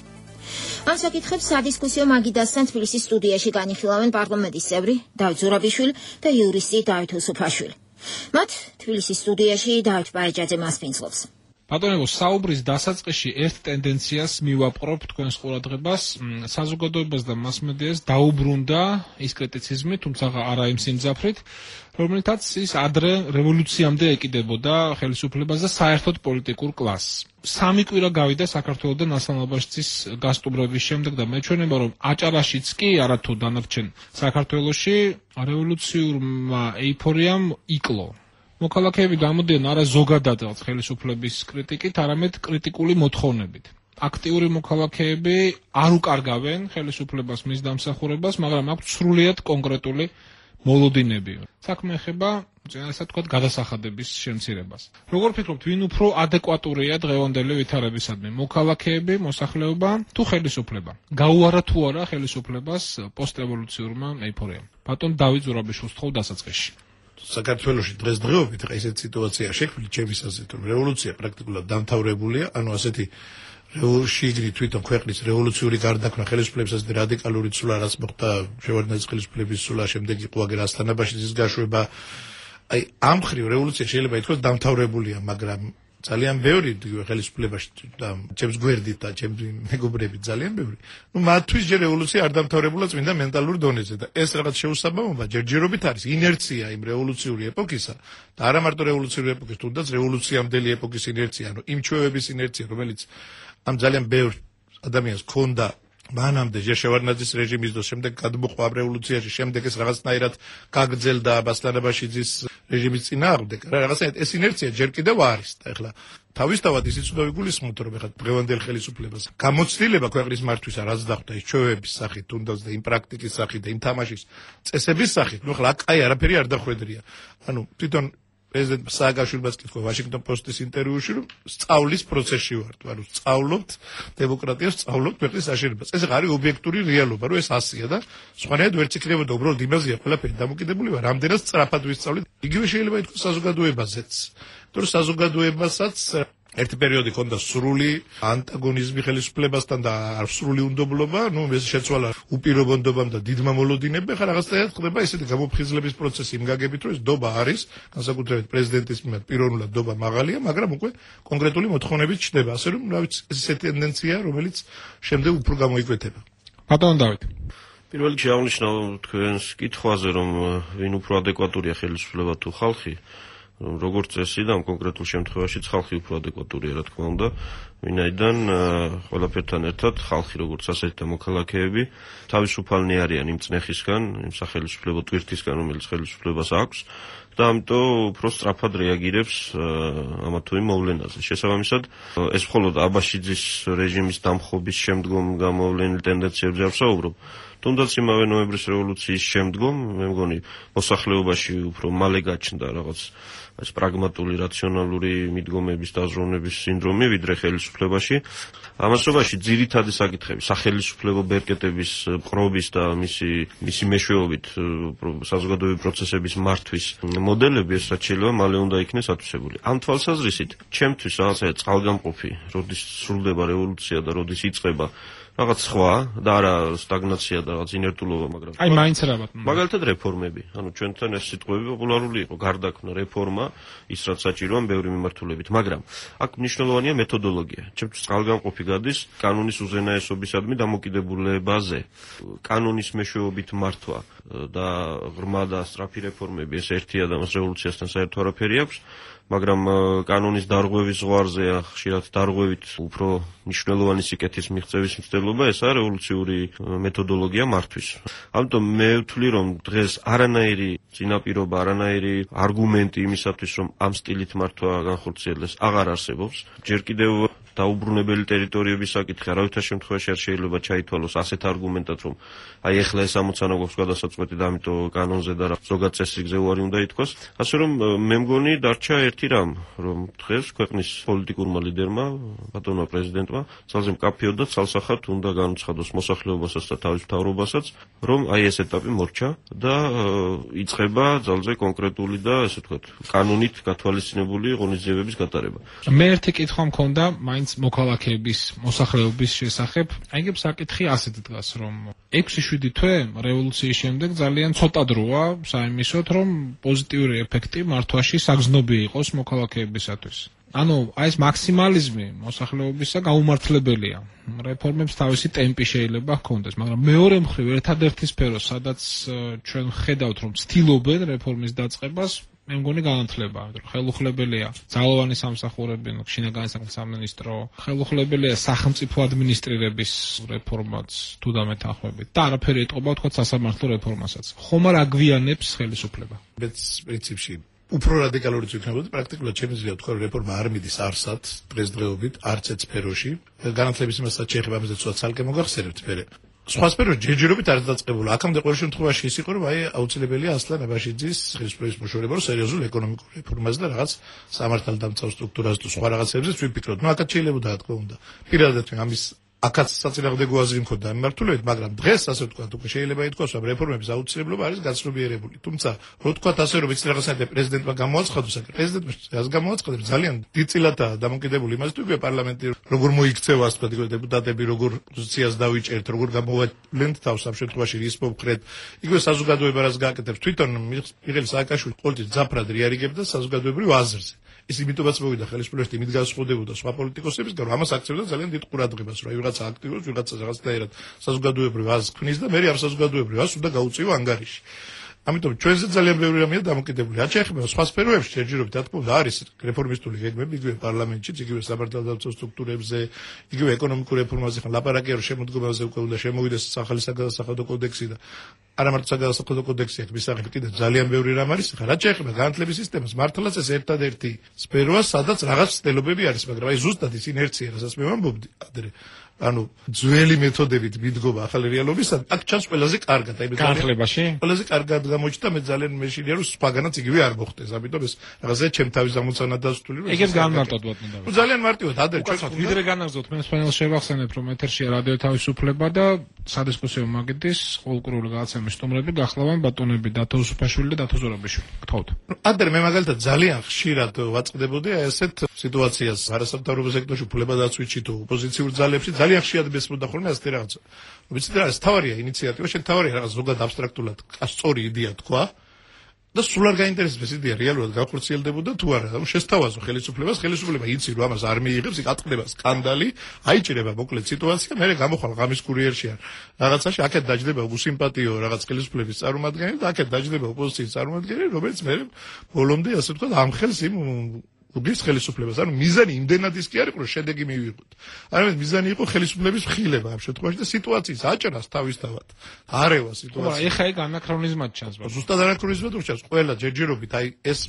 ამ საკითხებს სადისკუსიო მაგიდასთან თბილისის სტუდიაში განიხილავენ პარლამენტის წევრი დავით ზურაბიშვილი და იურისტი დავით უსუფაშვილი. მათ თბილისის სტუდიაში დავით პარიჯაძე მასპინძლობს. ბატონებო, საუბრის დასაწყისში ერთ ტენდენციას მივაპყრობ თქვენს ყურადღებას, საზოგადოებას და მასმედიას დაუბრუნდა ის კრიტიციზმი, თუმცა არა იმ სიმძაფრით, რომელთაც ის ადრე რევოლუციამდე ეკიდებოდა ხელისუფლებას და საერთოდ პოლიტიკურ კლასს. სამი კვირა გავიდა საქართველოდან ასამაბაშცის გასტუმრების შემდეგ და მეჩვენება, რომ აჭარაშიც კი არათუ დანარჩენ საქართველოში რევოლუციურმა ეიფორიამ იკლო. მოქალაქეები გამოდიან არა ზოგადად ხელისუფლების კრიტიკით, არამედ კრიტიკული მოთხოვნებით. აქტიური მოქალაქეები არ უკარგავენ ხელისუფლებას მის დამსახურებას, მაგრამ აქვთ სრულიად კონკრეტული მოლოდინები. საქმე ეხება, ასე ვთქვათ, გადასახადების შემცირებას. როგორ ფიქრობთ, ვინ უფრო ადეკვატურია დღევანდელი ვითარებისადმი? მოქალაქეები, მოსახლეობა თუ ხელისუფლება? გაუარა თუ არა ხელისუფლებას პოსტრევოლუციურმა ეიფორიამ? ბატონ დავით ზურაბიშვილს თხოვ დასაწყისში. საქართველოში დღესდღეობით ხა ესეთ სიტუაცია შექმნილი ჩემის აზრით, რომ რევოლუცია პრაქტიკულად დამთავრებულია, ანუ ასეთი რევოლუციური თვითონ ქვეყნის რევოლუციური გარდაქმნა ხელისუფლებისას და რადიკალური ცვლა, რაც მოხდა შევარდნაძის ხელისუფლების ცვლა, შემდეგ იყო აგერ ასთანაბაშიძის გაშვება. აი ამ ხრივ რევოლუცია შეიძლება ითქვას დამთავრებულია, მაგრამ ძალიან ბევრი ხელისუფლებაში და ჩემს გვერდით და ჩემს მეგობრებით ძალიან ბევრი. ნუ მათთვის ჯერ რევოლუცია არ დამთავრებულა წმინდა მენტალურ დონეზე და ეს რაღაც შეუსაბამობა ჯერჯერობით არის ინერცია იმ რევოლუციური ეპოქისა და არა მარტო რევოლუციური ეპოქის, თუნდაც რევოლუციამდელი ეპოქის ინერცია, ანუ იმ ჩვევების ინერცია, რომელიც ამ ძალიან ბევრ ადამიანს ქონდა მანამდე შევარდნაძის რეჟიმის და შემდეგ გადმოყვა რევოლუციაში, შემდეგ ეს რაღაცნაირად გაგრძელდა ასთანაბაშიძის რეჟიმის წინააღმდეგ. რაღაცნაირად ეს ინერცია ჯერ კიდევ არის და ეხლა თავისთავად ისიც უნდა ვიგულისხმოთ, რომ ეხლა დღევანდელ ხელისუფლებას გამოცდილება ქვეყნის მართვისა რაც დახვდა ის ჩვევების სახით, თუნდაც და იმ პრაქტიკის სახით და იმ თამაშის წესების სახით, ნუ ეხლა აი არაფერი არ დახვედრია. ანუ თვითონ პრეზიდენტ სააკაშვილს კითხვა ვაშინგტონ პოსტის ინტერვიუში, რომ სწავლის პროცესში ვართ, ანუ სწავლობთ დემოკრატიას, სწავლობთ ქვეყნის აშენებას. ეს არის ობიექტური რეალობა, რომ ეს ასია და სხვანაირად ვერც იქნებოდა უბრალოდ იმაზეა ყველაფერი დამოკიდებული, რამდენად სწრაფად ვისწავლით. იგივე შეიძლება ითქვას საზოგადოებაზეც. თორე საზოგადოებასაც ერთი პერიოდი ჰქონდა სრული ანტაგონიზმი ხელისუფლებასთან და არ სრული უნდობლობა, ну ეს შეცვალა უპირობონდობამ და დიდმა მოლოდინებამ, ხა რაღაცნაირად ხდება ესეთი გამოფხიზლების პროცესი იმ გაგებით, რომ ეს დობა არის, განსაკუთრებით პრეზიდენტის მიმართ პიროვნულად დობა მაღალია, მაგრამ უკვე კონკრეტული მოთხოვნებით ჩნდება, ასე რომ რა ვიცი, ეს ესეთი ტენდენციაა, რომელიც შემდეგ უფრო გამოიკვეთება. ბატონ დავით. პირველ რიგში აღნიშნავ თქვენს კითხვაზე, რომ ვინ უფრო ადეკვატურია ხელისუფლება თუ ხალხი. როგორც წესი და ამ კონკრეტულ შემთხვევაში ხალხი უფრო ადეკვატურია, რა თქმა უნდა, ვინაიდან ყველაფერთან ერთად ხალხი როგორც ასეთი და მოქალაქეები თავისუფალნი არიან იმ წნეხისგან, იმ სახელმწიფო ტვირთისგან, რომელიც ხელისუფლებას აქვს და ამიტომ უფრო სწრაფად რეაგირებს ამა თუ იმ მოვლენაზე. შესაბამისად, ეს მხოლოდ აბაშიძის რეჟიმის დამხობის შემდგომ გამოვლენილ ტენდენციებზე არ ვსაუბრობ. თუნდაც იმავე ნოემბრის რევოლუციის შემდგომ, მე მგონი, მოსახლეობაში უფრო მალე გაჩნდა რაღაც ეს პრაგმატული, რაციონალური მიდგომების დაზროვნების სინდრომი, ვიდრე ხელისუფლებაში. ამასობაში ძირითადი საკითხები, სახელისუფლებო ბერკეტების ყრობის და მისი მისი მეშვეობით საზოგადოებრივი პროცესების მართვის მოდელები, ეს რაც შეიძლება მალე უნდა იქნეს ათვისებული. ამ თვალსაზრისით, ჩემთვის რაღაცა წყალგამყოფი, როდის სრულდება რევოლუცია და როდის იწყება რაღაც სხვა და არა სტაგნაცია და რაღაც ინერტულობა, მაგრამ აი მაინც რა ბატონო. მაგალითად რეფორმები. ანუ ჩვენთან ეს სიტყვები პოპულარული იყო, გარდაქმნა რეფორმა, ის რაც საჭიროა ბევრი მიმართულებით, მაგრამ აქ მნიშვნელოვანია მეთოდოლოგია. ჩემთვის წყალგამყოფი გადის კანონის უზენაესობისადმი დამოკიდებულებაზე. კანონის მეშვეობით მართვა და ღრმა და სწრაფი რეფორმები, ეს ერთია და მას რევოლუციასთან საერთო არაფერი აქვს. მაგრამ კანონის დარღვევის ზღვარზე ხშირად დარღვევით უფრო მნიშვნელოვანი სიკეთის მიღწევის მცდელობა ესაა რევოლუციური მეთოდოლოგია მართვის. ამიტომ მე ვთვლი, რომ დღეს არანაირი წინაპირობა, არანაირი არგუმენტი იმისათვის, რომ ამ სტილით მართვა განხორციელდეს, აღარ არსებობს. ჯერ კიდევ დაუბრუნებელი ტერიტორიების საკითხი არავითარ შემთხვევაში არ შეიძლება ჩაითვალოს ასეთ არგუმენტად, რომ აი ეხლა ეს ამოცანა გვაქვს გადასაწყვეტი და ამიტომ კანონზე და ზოგად წესრიგზე უარი უნდა ითქვას. ასე რომ მე მგონი დარჩა ერთი რამ, რომ დღეს ქვეყნის პოლიტიკურმა ლიდერმა, ბატონმა პრეზიდენტმა, ძალზე მკაფიოდ და ცალსახად უნდა განუცხადოს მოსახლეობასაც და თავის მთავრობასაც, რომ აი ეს ეტაპი მორჩა და იწყება ძალზე კონკრეტული და ესე ვთქვათ, კანონით გათვალისწინებული ღონისძიებების გატარება. მე ერთი კითხვა მქონდა მაინც მოქალაქეების, მოსახლეობის შესახებ. აიგებ საკითხი ასეთ დგას, რომ ექვსი შვიდი თვე რევოლუციის შემდეგ ძალიან ცოტა დროა საიმისოდ, რომ პოზიტიური ეფექტი მართვაში საგრძნობი იყოს მოქალაქეებისათვის. ანუ აი ეს მაქსიმალიზმი მოსახლეობისა გაუმართლებელია. რეფორმებს თავისი ტემპი შეიძლება ჰქონდეს, მაგრამ მეორე მხრივ ერთადერთი სფერო, სადაც ჩვენ ხედავთ, რომ ცდილობენ რეფორმის დაწყებას, მე მგონი განათლება, რომ ხელუხლებელია ძალოვანი სამსახურები, შინაგანი საქმეთა სამინისტრო, ხელუხლებელია სახელმწიფო ადმინისტრირების რეფორმაც თუ დამეთანხმებით და არაფერი ეტყობა თქვა სასამართლო რეფორმასაც. ხომ არ აგვიანებს ხელისუფლება? მეც პრინციპში უფრო რადიკალურიც ვიქნებოდი, პრაქტიკულად შემიძლია ვთქვა, რომ რეფორმა არ მიდის არსად დღესდღეობით არც ერთ სფეროში. განათლების იმასაც შეეხება ამაზე ცოტა ცალკე მოგახსენებთ მე. სხვა სფეროში ჯერჯერობით არ დაწყებულა. აქამდე ყოველ შემთხვევაში ის იყო, რომ აი აუცილებელია ასლან აბაშიძის ხელისუფლების მოშორება, რომ სერიოზულ ეკონომიკურ რეფორმაზე და რაღაც სამართალდამცავ სტრუქტურაზე თუ სხვა რაღაცებზე ვიფიქროთ. ნუ აქაც შეიძლება და თქმა უნდა. პირადად ამის აქაც საწინააღმდეგო აზრი მქონდა მიმართულებით, მაგრამ დღეს ასე ვთქვათ, უკვე შეიძლება ითქვას, რომ რეფორმების აუცილებლობა არის გაცნობიერებული. თუმცა, რო ვთქვათ ასე, რომ იცი რაღაცნაირად პრეზიდენტმა გამოაცხადოს, აკ პრეზიდენტმა რას გამოაცხადებს, ძალიან დიდწილადაა დამოკიდებული იმაზე, თუ იგი პარლამენტი როგორ მოიქცევა, ასე ვთქვათ, დეპუტატები როგორ პოზიციას დავიჭერთ, როგორ გამოვავლენთ თავს ამ შემთხვევაში რის მომხრედ. იგივე საზოგადოება რას გააკეთებს, თვითონ მიხეილ სააკაშვილი ყოველთვის ძაფრად რეაგირებდა საზოგადოებრივ აზრზე. ის იმიტომაც მოვიდა ხელისუფლებაში, იმით განსხვავდებოდა სხვა პოლიტიკოსებისგან, რომ ამას აქცევდა ძალიან დიდ ყურადღებას, რომ ვიღაცა აქტიურობს, ვიღაცა რაღაცნაირად საზოგადოებრივ აზრს ქმნის და მე ამ საზოგადოებრივ აზრს უნდა გაუწიო ანგარიში. ამიტომ ჩვენზე ძალიან ბევრი რამეა დამოკიდებული. რაც შეეხება სხვა სფეროებში, ჯერჯერობით რა თქმა უნდა არის რეფორმისტული გეგმები, იგივე პარლამენტშიც, იგივე სამართალდამცავ სტრუქტურებზე, იგივე ეკონომიკურ რეფორმაზე, ხან ლაპარაკია, რომ შემოდგომაზე უკვე უნდა შემოვიდეს ახალი საგადასახადო კოდექსი და არა მარტო საგადასახადო კოდექსი, აქ მისაღები კიდევ ძალიან ბევრი რამ არის. ხან რაც შეეხება განათლების სისტემას, მართლაც ეს ერთადერთი სფეროა, სადაც რაღაც ცდილობები არის, მაგრამ აი ზუსტად ის ინერცია, რასაც მე ვამბობდი ადრე, ანუ ძველი მეთოდებით მიდგომა ახალი რეალობისთან, აქ ჩანს ყველაზე კარგად. აი მე განხლებაში? ყველაზე კარგად გამოჩნდა, მე ძალიან მეშინია რომ სხვაგანაც იგივე არ მოხდეს. ამიტომ ეს რაღაცა ჩემ თავის ამოცანა დასტული რომ ეგებს განმარტოთ ბატონო. ნუ ძალიან მარტივად ადრე ჩვენ ვიდრე განაგზავნოთ მე სპეციალ შევახსენებ რომ ეთერშია რადიო თავისუფლება და სადისკუსიო მაგიდის ყოველკვირეული გადაცემის სტუმრები გახლავენ ბატონები დათო უსუფაშვილი და დათო ზურაბიშვილი. გთხოვთ. ადრე მე მაგალითად ძალიან ხშირად ვაწყდებოდი აი ესეთ სიტუაციას არასამთავრობო სექტორში უფლებადაცვითში თუ ოპოზიციურ ძალებში ძალიან ხშირად მესმოდა ხოლმე ასეთი რაღაცა. ვიცით რა ეს თავარია ინიციატივა, შენ თავარია რაღაც ზოგადად აბსტრაქტულად სწორი იდეა თქვა და სულ არ გაინტერესებს ეს იდეა რეალურად განხორციელდებოდა თუ არა. ანუ შესთავაზო ხელისუფლებას, ხელისუფლება იცი რომ ამას არ მიიღებს, იქ ატყდება სკანდალი, აიჭირება მოკლედ სიტუაცია, მე გამოხვალ ღამის კურიერში არ რაღაცაში, აქეთ დაждდება უსიმპათიო რაღაც ხელისუფლების წარმომადგენელი და აქეთ დაждდება ოპოზიციის წარმომადგენელი, რომელიც მე ბოლომდე ასე ვთქვათ ამხელს იმ უგის ხელისუფლებას. ანუ მიზანი იმდენად ის კი არ იყო რომ შედეგი მივიღოთ. არამედ მიზანი იყო ხელისუფლების მხილება ამ შემთხვევაში და სიტუაციის აჭრას თავისთავად. არევა სიტუაცია. ხო, ეხა ეგ ანაქრონიზმად ჩანს. ზუსტად ანაქრონიზმად ჩანს. ყველა ჯერჯერობით აი ეს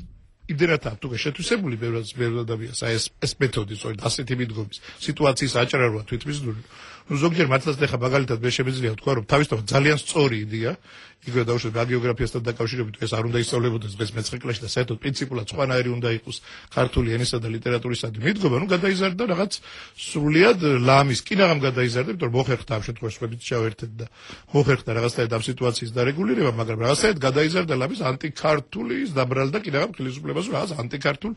იმდენად თუ შეთვისებული ბევრად ბევრად ადამიანს აი ეს ეს მეთოდი სწორედ ასეთი მიდგომის სიტუაციის აჭრა როა თვითმისდური. ნუ ზოგჯერ მართლაც ეხა მაგალითად მე შემიძლია ვთქვა რომ თავისთავად ძალიან სწორი იდეა იგივე დაუშვათ გეოგრაფიასთან დაკავშირებით ეს არ უნდა ისწავლებოდეს დღეს მეცხრე კლასში და საერთოდ პრინციპულად სხვანაირი უნდა იყოს ქართული ენისა და ლიტერატურისადმი მიდგომა, ნუ გადაიზარდა რაღაც სრულიად ლამის, კი რაღამ გადაიზარდა, იმიტომ რომ მოხერხდა ამ შემთხვევაში ხვებით ჩავერთეთ და მოხერხდა რაღაცნაირად ამ სიტუაციის დარეგულირება, მაგრამ რაღაცნაირად გადაიზარდა ლამის ანტიქართული დაბრალდა კი რაღამ ხელისუფლებას რაღაც ანტიქართულ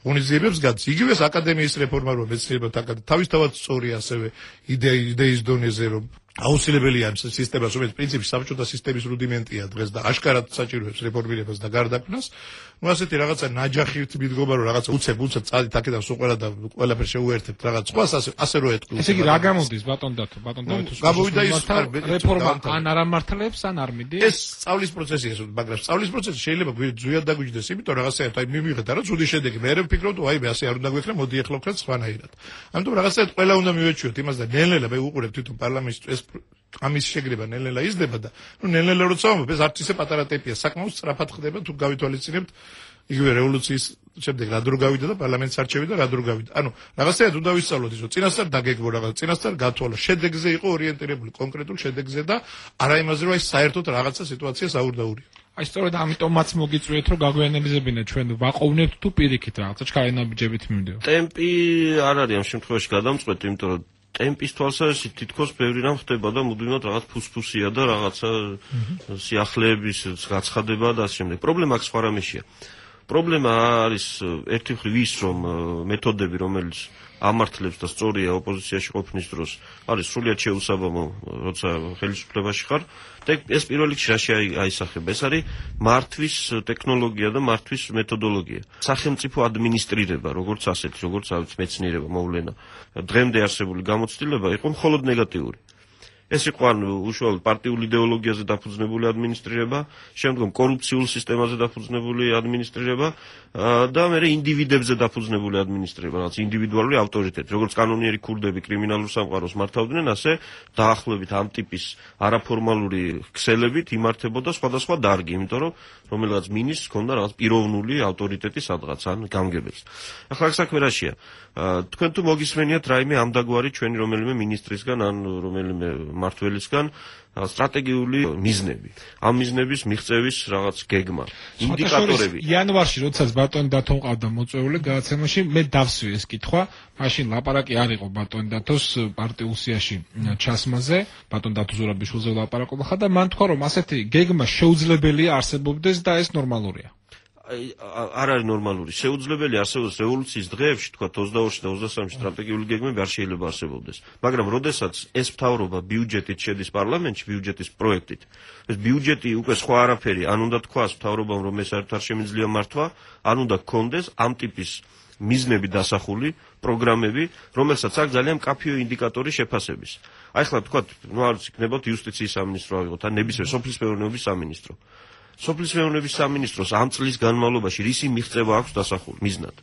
ღონისძიებებს გადის. იგივე აკადემიის რეფორმა რო მეცნიერებად თავისთავად სწორი ასევე იდეის დონეზე რომ აუცილებელია ამ სისტემას, რომელიც პრინციპი საბჭოთა სისტემის რუდიმენტია დღეს და აშკარად საჭიროებს რეფორმირებას და გარდაქმნას. ნუ ასეთი რაღაცა ნაჯახით მიდგომა რომ რაღაცა უცებ უცებ წადით აქედან სულ ყველა და ყველაფერს შეუერთებთ რაღაც სხვას ასე ასე რო ეთქვი. ესე იგი რა გამოდის ბატონ დათო, ბატონ დათო გამოვიდა ის რეფორმა ან არ ამართლებს ან არ მიდის? ეს სწავლის პროცესია, მაგრამ სწავლის პროცესი შეიძლება ზუსტად დაგვიჯდეს, იმიტომ რაღაცა აი მივიღეთ არა ცუდი შედეგი. მე არ ვფიქრობ თუ აი მე ასე არ უნდა გვექნა, მოდი ეხლა ვქრათ სხვანაირად. ამიტომ რაღაცა ყველა უნდა მივეჩვიოთ იმას და ნელ-ნელა მე უყურებ თვითონ პარლამენტში ეს ამის შეგრება ნელ-ნელა იზრდება და ნუ ნელ-ნელა როცა ვამბობ ეს არც ისე პატარა ტემპია, საკმაოდ სწრაფად ხდება თუ გავითვალისწინებთ იგივე რევოლუციის შემდეგ რა დრო გავიდა და პარლამენტს არჩევი და რა დრო გავიდა. ანუ რაღაცაა უნდა ვისწავლოთ ის რომ წინასწარ დაგეგმო რაღაც, წინასწარ გათვალო, შედეგზე იყო ორიენტირებული კონკრეტულ შედეგზე და არა იმაზე რომ აი საერთოდ რაღაცა სიტუაცია საურდაურია. აი სწორედ ამიტომაც მოგიწვიეთ რომ გაგვიანებიზებინეთ ჩვენ ვაყოვნებთ თუ პირიქით რაღაცა ჩქარენაბიჯებით მივდივართ. ტემპი არ არის ამ შემთხვევაში გადამწყვეტი, იმიტომ რომ ტემპის თვალსაზრისით თითქოს ბევრი რამ ხდება და მუდმივად რაღაც ფუსფუსია და რაღაცა სიახლეების გაცხადება და ასე შემდეგ. პრობლემა აქ სხვა რამეშია. პრობლემა არის ერთი მხრივ ის რომ მეთოდები რომელიც ამართლებს და სწორია ოპოზიციაში ყოფნის დროს არის სრულიად შეუსაბამო როცა ხელისუფლებაში ხარ და ეს პირველ რიგში რაში აისახება ეს არის მართვის ტექნოლოგია და მართვის მეთოდოლოგია სახელმწიფო ადმინისტრირება როგორც ასეთი როგორც მეცნიერება მოვლენა დღემდე არსებული გამოცდილება იყო მხოლოდ ნეგატიური ეს იყო ან უშუალოდ პარტიულ იდეოლოგიაზე დაფუძნებული ადმინისტრირება, შემდგომ კორუფციულ სისტემაზე დაფუძნებული ადმინისტრირება და მერე ინდივიდებზე დაფუძნებული ადმინისტრირება, რაც ინდივიდუალური ავტორიტეტი, როგორც კანონიერი ქურდები კრიმინალურ სამყაროს მართავდნენ, ასე დაახლოებით ამ ტიპის არაფორმალური ქსელებით იმართებოდა სხვადასხვა დარგი, იმიტომ რომ რომელიღაც მინისტრს ჰქონდა რაღაც პიროვნული ავტორიტეტი სადღაც ან გამგებელს. ახლა აქ საქმე რაშია? თქვენ თუ მოგისმენიათ რაიმე ამდაგვარი ჩვენი რომელიმე მინისტრისგან ან რომელიმე მართველისგან სტრატეგიული მიზნები. ამ მიზნების მიღწევის რაღაც გეგმა, ინდიკატორები. იანვარში, როდესაც ბატონი დათო ყავდა მოწვეული გადაცემაში, მე დავსვი ეს კითხვა, მაშინ ლაპარაკი არ იყო ბატონი დათოს პარტიულ სიაში ჩასმაზე, ბატონ დათო ზურაბიშვილზე ლაპარაკობა ხა და მან თქვა, რომ ასეთი გეგმა შეუძლებელია არსებობდეს და ეს ნორმალურია. არ არის ნორმალური. შეუძლებელია არსებობს რევოლუციის დღეებში, თქვა ოცდაორში და ოცდასამში სტრატეგიული გეგმები არ შეიძლება არსებობდეს. მაგრამ როდესაც ეს მთავრობა ბიუჯეტით შედის პარლამენტში, ბიუჯეტის პროექტით, ეს ბიუჯეტი უკვე სხვა არაფერი, ან უნდა თქვას მთავრობამ, რომ ეს საერთოდ არ შემიძლია მართვა, ან უნდა გქონდეს ამ ტიპის მიზნები დასახული პროგრამები, რომელსაც აქვს ძალიან მკაფიო ინდიკატორი შეფასების. აი ხლა თქვა, ნუ არის იქნებათ იუსტიციის სამინისტრო ავიღოთ, ან ნებისმიერ სოფლის მეურნეობის სამინისტრო. სოფლის მეურნეობის სამინისტროს ამ წლის განმავლობაში რისი მიღწევა აქვს დასახული მიზნად?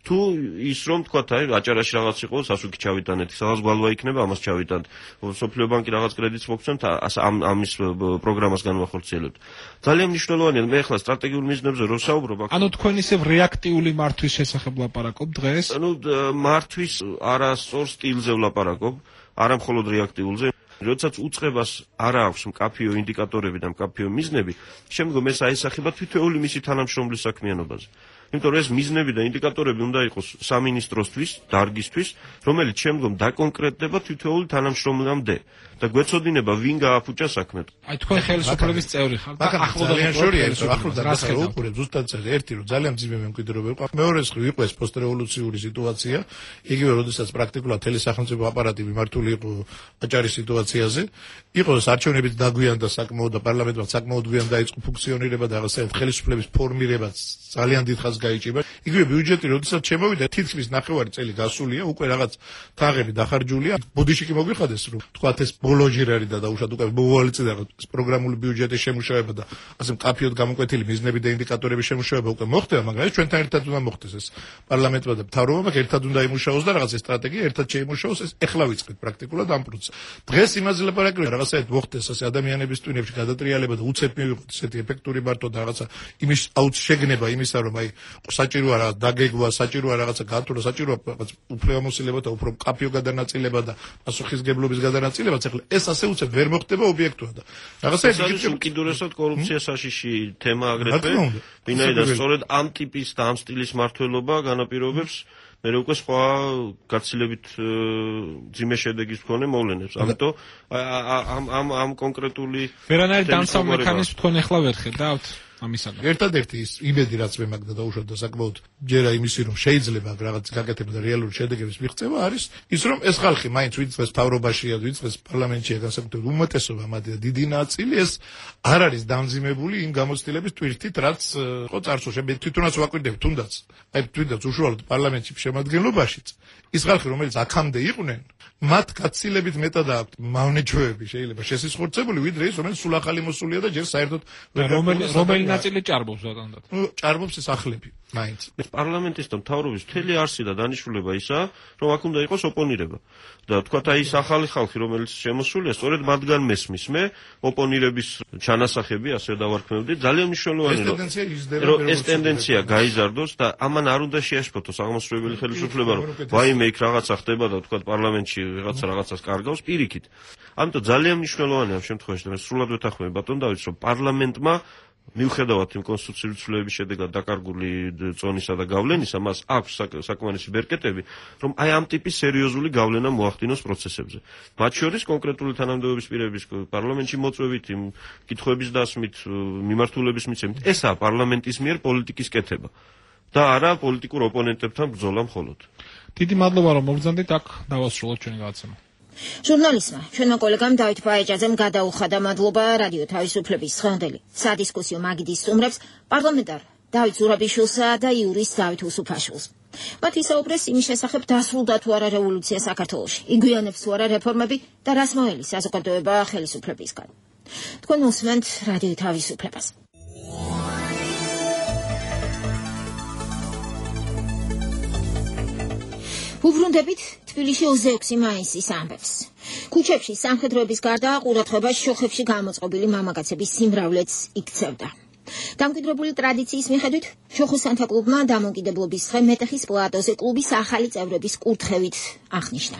თუ ის რომ თქვა აი აჭარაში რაღაც იყო, სასუქი ჩავიტანეთ, სადაც გვალვა იქნება, ამას ჩავიტანთ. სოფლიო ბანკი რაღაც კრედიტს მოგცემთ, ამ ამის პროგრამას განვახორციელებთ. ძალიან მნიშვნელოვანია, მე ახლა სტრატეგიულ მიზნებზე რო საუბრობ, ანუ თქვენ ისევ რეაქტიული მართვის შესახებ ლაპარაკობ დღეს? ანუ მართვის არასწორ სტილზე ვლაპარაკობ. არა მხოლოდ რეაქტიულზე. როდესაც უწყებას არ აქვს მკაფიო ინდიკატორები და მკაფიო მიზნები, შემდგომ ეს აისახება თითოეული მისი თანამშრომლის საქმიანობაზე. იმიტომ რომ ეს მიზნები და ინდიკატორები უნდა იყოს სამინისტროსთვის, დარგისთვის, რომელიც შემდგომ დაკონკრეტდება თითოეული თანამშრომლამდე და გვეცოდინება ვინ გააფუჭა საქმე. აი თქვენ ხელისუფლების წევრი ხართ და ახლდა შორია ეს ახლდა რას უყურებ ზუსტად ერთი რომ ძალიან ძიმე მემკვიდრეობა იყო. მეორე მხრივ იყო ეს პოსტრევოლუციური სიტუაცია, იგივე როდესაც პრაქტიკულად თელი სახელმწიფო აპარატი მიმართული იყო აჭარის სიტუაციაზე, იყო არჩევნებით დაგვიანდა საკმაოდ და პარლამენტმა საკმაოდ გვიან დაიწყო ფუნქციონირება და რაღაცა ხელისუფლების ფორმირებაც ძალიან დიდ ხანს გაიჭირა. იგივე ბიუჯეტი როდესაც შემოვიდა თითქმის ნახევარი წელი გასულია, უკვე რაღაც თაღები დახარჯულია. ბოდიში კი მოგვიხადეს რომ თქვათ ეს ბოლოჯირარი და დაუშვათ უკვე მოვალეწე და პროგრამული ბიუჯეტის შემუშავება და ასე მკაფიოდ გამოკვეთილი მიზნები და ინდიკატორების შემუშავება უკვე მოხდება, მაგრამ ეს ჩვენთან ერთად უნდა მოხდეს ეს პარლამენტმა და მთავრობამ ერთად უნდა იმუშაოს და რაღაც სტრატეგია ერთად შეიმუშაოს, ეს ეხლა ვიწყეთ პრაქტიკულად ამ პროცესს. დღეს იმაზე ლაპარაკია რაღაცაეთ მოხდეს ასე ადამიანების ტვინებში გადატრიალება და უცებ მივიღოთ ესეთი ეფექტური მარტო და რაღაცა იმის აუც შეგნება იმისა რომ აი საჭიროა რაღაც დაგეგვა, საჭიროა რაღაცა გათვლა, საჭიროა რაღაც უფრო ამოსილება და უფრო მკაფიო გადანაწილება და პასუხისგებლობის გადანაწილება, ეხლა ეს ასე უცებ ვერ მოხდება ობიექტურად და რაღაცა ეს უკიდურესად კორუფცია საშიში თემა აგრეთვე, ვინაიდან სწორედ ამ ტიპის და ამ სტილის მართლობა განაპირობებს მე უკვე სხვა გაცილებით ძიმე შედეგის მქონე მოვლენებს. ამიტომ ამ ამ ამ კონკრეტული ვერანაირ დამსავ მექანიზმს თქვენ ახლა ვერ ხედავთ ამისაგან. ერთადერთი ის იმედი რაც მე მაგ და დაუშვათ და საკმაოდ ჯერა იმისი რომ შეიძლება რაღაც გაკეთება და რეალური შედეგების მიღწევა არის ის რომ ეს ხალხი მაინც ვინც დღეს მთავრობაშია, ვინც დღეს პარლამენტშია, განსაკუთრებით უმეტესობა მათი დიდი ნაწილი ეს არ არის დამძიმებული იმ გამოცდილების ტვირთით რაც ხო წარსულში მე თვითონაც ვაკვირდები თუნდაც აი თვითონაც უშუალოდ პარლამენტში შემადგენლობაშიც ის ხალხი რომელიც აქამდე იყვნენ მათ გაცილებით მეტად აქვთ მავნეჩვეები შეიძლება შესიზღვრცებული ვიდრე ის რომელიც სულ ახალი მოსულია და ჯერ საერთოდ რომელი რომელი ნაწილი ჭარბობს ბატონო? ჭარბობს ეს ახლები მაინც. პარლამენტის და მთავრობის მთელი არსი და დანიშნულება ისაა რომ აქ უნდა იყოს ოპონირება და თქვათ აი ეს ახალი ხალხი რომელიც შემოსულია სწორედ მათგან მესმის მე ოპონირების ჩანასახები ასე დავარქმევდი ძალიან მნიშვნელოვანია რომ ეს ტენდენცია გაიზარდოს და ამან არ უნდა შეაშფოთოს აღმასრულებელი ხელისუფლება რომ ვაიმე იქ რაღაცა ხდება და თქვათ პარლამენტში რაღაცა რაღაცას კარგავს პირიქით. ამიტომ ძალიან მნიშვნელოვანია ამ შემთხვევაში და მე სრულად ვეთანხმები ბატონ დავითს რომ პარლამენტმა მიუხედავად იმ კონსტიტუციური ცვლილებების შედეგად დაკარგული წონისა და გავლენისა, მას აქვს საკმარისი ბერკეტები, რომ აი ამ ტიპის სერიოზული გავლენა მოახდინოს პროცესებზე. მათ შორის კონკრეტული თანამდებობის პირების პარლამენტში მოწვევით, იმ კითხვების დასმით, მიმართულების მიცემით, ესაა პარლამენტის მიერ პოლიტიკის კეთება და არა პოლიტიკურ ოპონენტებთან ბრძოლა მხოლოდ. დიდი მადლობა რომ მოგზანდით აქ დავასრულოთ ჩვენი გადაცემა. ჟურნალისტმა ჩვენმა კოლეგამ დავით ბაეჯაძემ გადაუხადა მადლობა რადიო თავისუფლების დღევანდელი სადისკუსიო მაგიდის სტუმრებს პარლამენტარ დავით ზურაბიშვილსა და იურისტ დავით უსუფაშვილს. მათ ისაუბრეს იმის შესახებ დასრულდა თუ არა რევოლუცია საქართველოში, იგვიანებს თუ არა რეფორმები და რას მოელის საზოგადოება ხელისუფლებისგან. თქვენ უსმენთ რადიო თავისუფლებას. უბრუნდებით თბილისში ოცდაექვსი მაისის ამბებს. ქუჩებში სამხედროების გარდა ყურადღება შოხებში გამოწყობილი მამაკაცების სიმრავლეც იქცევდა. დამკვიდრებული ტრადიციის მიხედვით შოხოსანთა კლუბმა დამოუკიდებლობის დღე მეტეხის პლატოზე კლუბის ახალი წევრების კურთხევით აღნიშნა.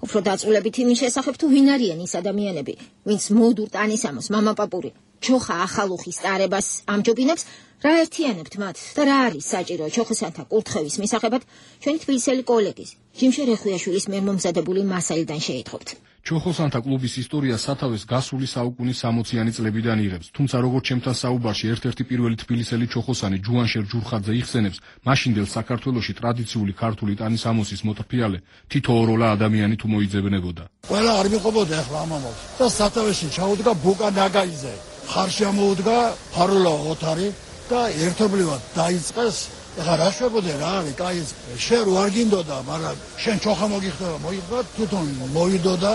უფრო დაწვრილებით იმის შესახებ თუ ვინ არიან ის ადამიანები, ვინც მოდურ ტანისამოს მამაპაპური ჩოხა ახალუხის ტარებას ამჯობინებს, რა ერთიანებთ მათ და რა არის საჭირო ჩოხოსანთა კურთხევის მისაღებად, ჩვენი თბილისელი კოლეგის ჯიმშე რეხვიაშვილის მიერ მომზადებული მასალიდან შეითხოვთ. ჩოხოსანთა კლუბის ისტორია სათავეს გასული საუკუნის სამოციანი წლებიდან იღებს, თუმცა როგორც ჩემთან საუბარში ერთ-ერთი პირველი თბილისელი ჩოხოსანი ჯუანშერ ჯურხაძე იხსენებს, მაშინდელ საქართველოში ტრადიციული ქართული ტანისამოსის მოტრფიალე თითო ოროლა ადამიანი თუ მოიძებნებოდა. ყველა არ მიყვებოდა ახლა ამ ამბავს და სათავეში ჩაუდგა ბუკა ნაგაიძე, ხარში ამოუდგა ფარულა ოთარი და ერთობლივად დაიწყეს. ეხლა რა შვებოდე რა არის, კაი შენ რო არ გინდოდა, მაგრამ შენ ჩოხა მოგიხდება, მოიხდა, თვითონ მოიდოდა,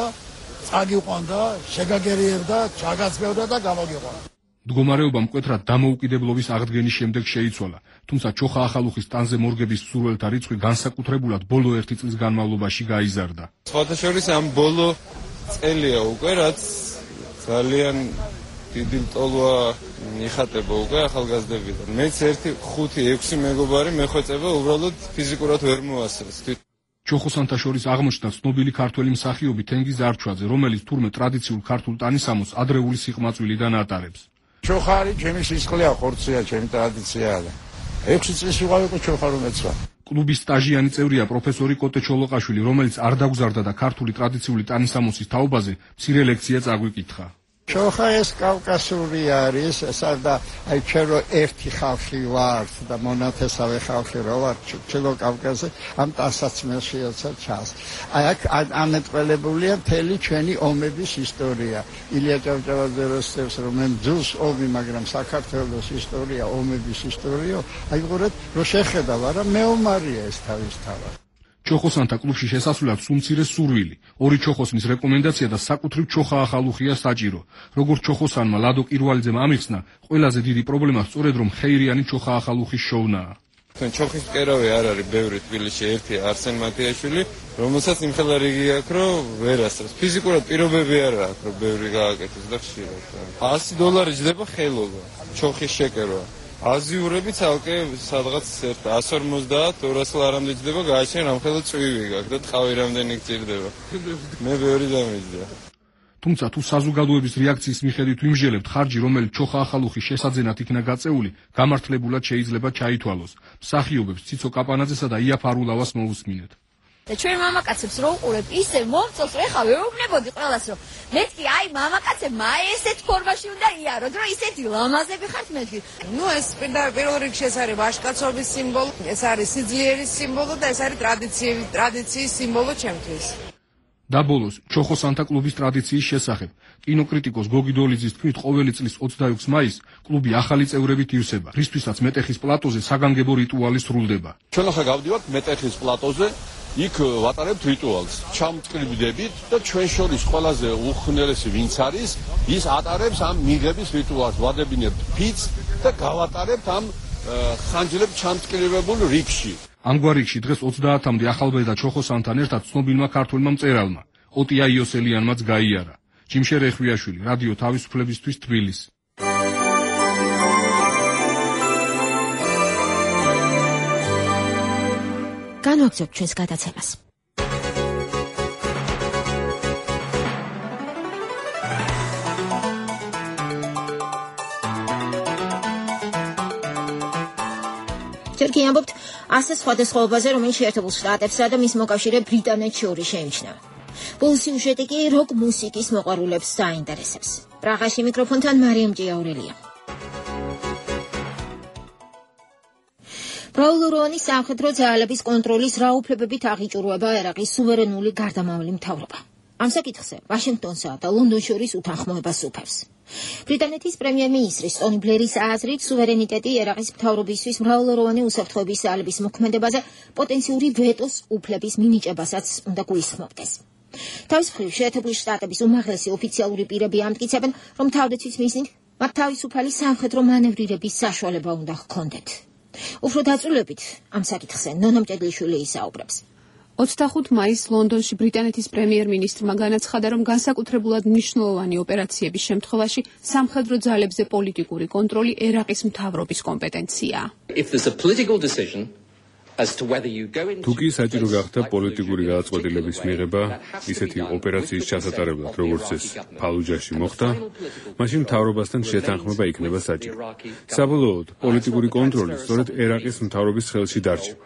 წაგიყვანდა, შეგაგერიებდა, ჩაგაცმევდა და გამოგიყვანა. მდგომარეობა მკვეთრად დამოუკიდებლობის აღდგენის შემდეგ შეიცვალა, თუმცა ჩოხა ახალუხის ტანზე მორგების მსურველთა რიცხვი განსაკუთრებულად ბოლო ერთი წლის განმავლობაში გაიზარდა. სხვათა შორის ამ ბოლო წელია უკვე, რაც ძალიან დიდი ლტოლვა იხატება უკვე ახალგაზრდებიდან. მეც ერთი ხუთი ექვსი მეგობარი მეხვეწება უბრალოდ ფიზიკურად ვერ მოასწრეს. ჩოხოსანთა შორის აღმოჩნდა ცნობილი ქართველი მსახიობი თენგიზ არჩვაძე, რომელიც თურმე ტრადიციულ ქართულ ტანისამოს ადრეული სიყმაწვილიდან ატარებს. ჩოხარი ჩემი სისხლია, ხორცია, ჩემი ტრადიციაა. ექვსი წლის ვიყავ უკვე ჩოხარ უმეცვა. კლუბის სტაჟიანი წევრია პროფესორი კოტე ჩოლოყაშვილი, რომელიც არ დაგზარდა და ქართული ტრადიციული ტანისამოსის თაობაზე მცირე ლექცია წაგვიკითხა. ჩოხა ეს კავკასიური არის, ესა აი ჩვენ რო ერთი ხალხი ვართ და მონათესავე ხალხი რო ვართ ჩილო კავკასზე, ამ ტანსაცმელშიაცა ჩას. აი აქ ამეტყველებულია მთელი ჩვენი ომების ისტორია. ილია ჭავჭავაძე როსტევს რომ მე ძულს ომი, მაგრამ საქართველოს ისტორია, ომების ისტორია, აი ყურეთ რო შეხედავ, არა მეომარია ეს თავისთავად. ჩოხოსანთა კლუბში შესასვლელად სუმცირე სურვილი, ორი ჩოხოსნის რეკომენდაცია და საკუთრივ ჩოხა ახალუხია საჭირო. როგორც ჩოხოსანმა ლადო კირვალიძემ ამიხსნა, ყველაზე დიდი პრობლემა სწორედ რომ ხეირიანი ჩოხა ახალუხის შოვნაა. ჩოხის მკერავი არ არის ბევრი თბილისში, ერთი არსენ მათიაშვილი, რომელსაც იმხელა რიგი აქვს, რომ ვერ ასწრებს. ფიზიკურად პირობები არ აქვს, რომ ბევრი გააკეთოს და ხშირად. ასი დოლარი ჯდება ხელობა, ჩოხის შეკერვა. აზიურები ცალკე სადღაც εκατს ორმოცდაათ ორას ლარამდე ჯდება, გააჩენ რამხელა წვივი გაქვს და ტყავი რამდენი გჭირდება. მე ბევრი დამიჯდა. თუმცა თუ საზოგადოების რეაქციის მიხედვით ვიმჟელებთ, ხარჯი, რომელიც ჩოხა ახალუხის შესაძენად იქნა გაწეული, გამართლებულად შეიძლება ჩაითვალოს. მსახიობებს ციცო კაპანაძესა და ია ფარულავას მოусმინეთ. და ჩვენ მამაკაცებს რო უყურებ, ისე მომწონს, რომ ეხლა ვეუბნებოდი ყველას, რომ მეთქი აი მამაკაცებმა აი ესეთ ფორმაში უნდა იაროთ, რომ ისეთი ლამაზები ხართ მეთქი. ნუ ეს პირველ რიგში ეს არის ვაჟკაცობის სიმბოლო, ეს არის სიძლიერის სიმბოლო და ეს არის ტრადიციის ტრადიციის სიმბოლო ჩემთვის. და ბოლოს, ჩოხოსანთა კლუბის ტრადიციის შესახებ. კინოკრიტიკოს გოგი დოლიძის თქმით, ყოველი წლის ოცდაექვსი მაისს კლუბი ახალი წევრებით ივსება, რისთვისაც მეტეხის პლატოზე საგანგებო რიტუალი სრულდება. ჩვენ ახლა გავდივართ მეტეხის პლატოზე, იქ ვატარებთ რიტუალს. ჩამწკრივდებით და ჩვენ შორის ყველაზე უხნელესი ვინც არის, ის ატარებს ამ მიღების რიტუალს. ვადებინებთ ფიცს და გავატარებთ ამ ხანჯლებს ჩამწკრივებულ რიგში. ამგვარ რიგში დღეს ოცდაათამდე ახალბედა ჩოხოსანთან ერთად ცნობილმა ქართველმა მწერალმა ოტია იოსელიანმაც გაიარა. ჯიმშე რეხვიაშვილი, რადიო თავისუფლებისთვის, თბილისი. განვაგრძობ ჩვენს გადაცემას. ჯერ კი ამბობთ ასე სხვადასხვაობაზე, რომელიც შეერთებულ შტატებსა და მის მოკავშირე ბრიტანეთს შორის შეიმჩნევა. ბოლო სიუჟეტი კი როკ მუსიკის მოყვარულებს საინტერესებს. პრაღაში მიკროფონთან მარიამ ჭიაურელია. ბრაულურონის სამხედრო ძალების კონტროლის რა უფლებებით აღიჭურვება ერაყის სუვერენული გარდამავალი მთავრობა. ამ საკითხზე ვაშინგტონსა და ლონდონს შორის უთანხმოებას უფევს. ბრიტანეთის პრემიერ-მინისტრის ტონი ბლერის აზრით, სუვერენიტეტი ერაყის მთავრობისთვის მრავალროვანი უსაფრთხოების ძალების მოქმედებაზე პოტენციური ვეტოს უფლების მინიჭებასაც უნდა გულისხმობდეს. თავის მხრივ, შეერთებული შტატების უმაღლესი ოფიციალური პირები ამტკიცებენ, რომ თავდაცვის მიზნით მათ თავისუფალი სამხედრო მანევრირების საშუალება უნდა ჰქონდეთ. უფრო დაწვრილებით ამ საკითხზე ნონა მჭედლიშვილი ისაუბრებს. ოცდახუთი მაისს ლონდონში ბრიტანეთის პრემიერ-მინისტრმა განაცხადა, რომ განსაკუთრებულად მნიშვნელოვანი ოპერაციების შემთხვევაში სამხედრო ძალებზე პოლიტიკური კონტროლი ერაყის მთავრობის კომპეტენციაა. თუ კი საჭირო გახდა პოლიტიკური გადაწყვეტილების მიღება ისეთი ოპერაციის ჩასატარებლად, როგორც ეს ფალუჯაში მოხდა, მაშინ მთავრობასთან შეთანხმება იქნება საჭირო. საბოლოოდ, პოლიტიკური კონტროლი სწორედ ერაყის მთავრობის ხელში დარჩება.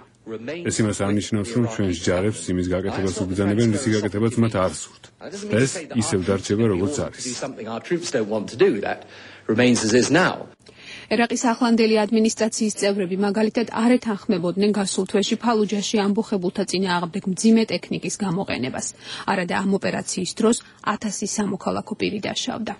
ეს იმას არნიშნავს, რომ ჩვენს ჯარებს იმის გაკეთებას უბრძანებენ, რის გაკეთებაც მათ არ სურთ. ეს ისევ დარჩება, როგორც არის. ერაყის ახლანდელი ადმინისტრაციის წევრები მაგალითად არ ეთანხმებოდნენ გასულ თვეში ფალუჯაში ამბოხებულთა წინააღმდეგ მძიმე ტექნიკის გამოყენებას. არადა ამ ოპერაციის დროს ათასი სამოქალაქო პირი დაშავდა.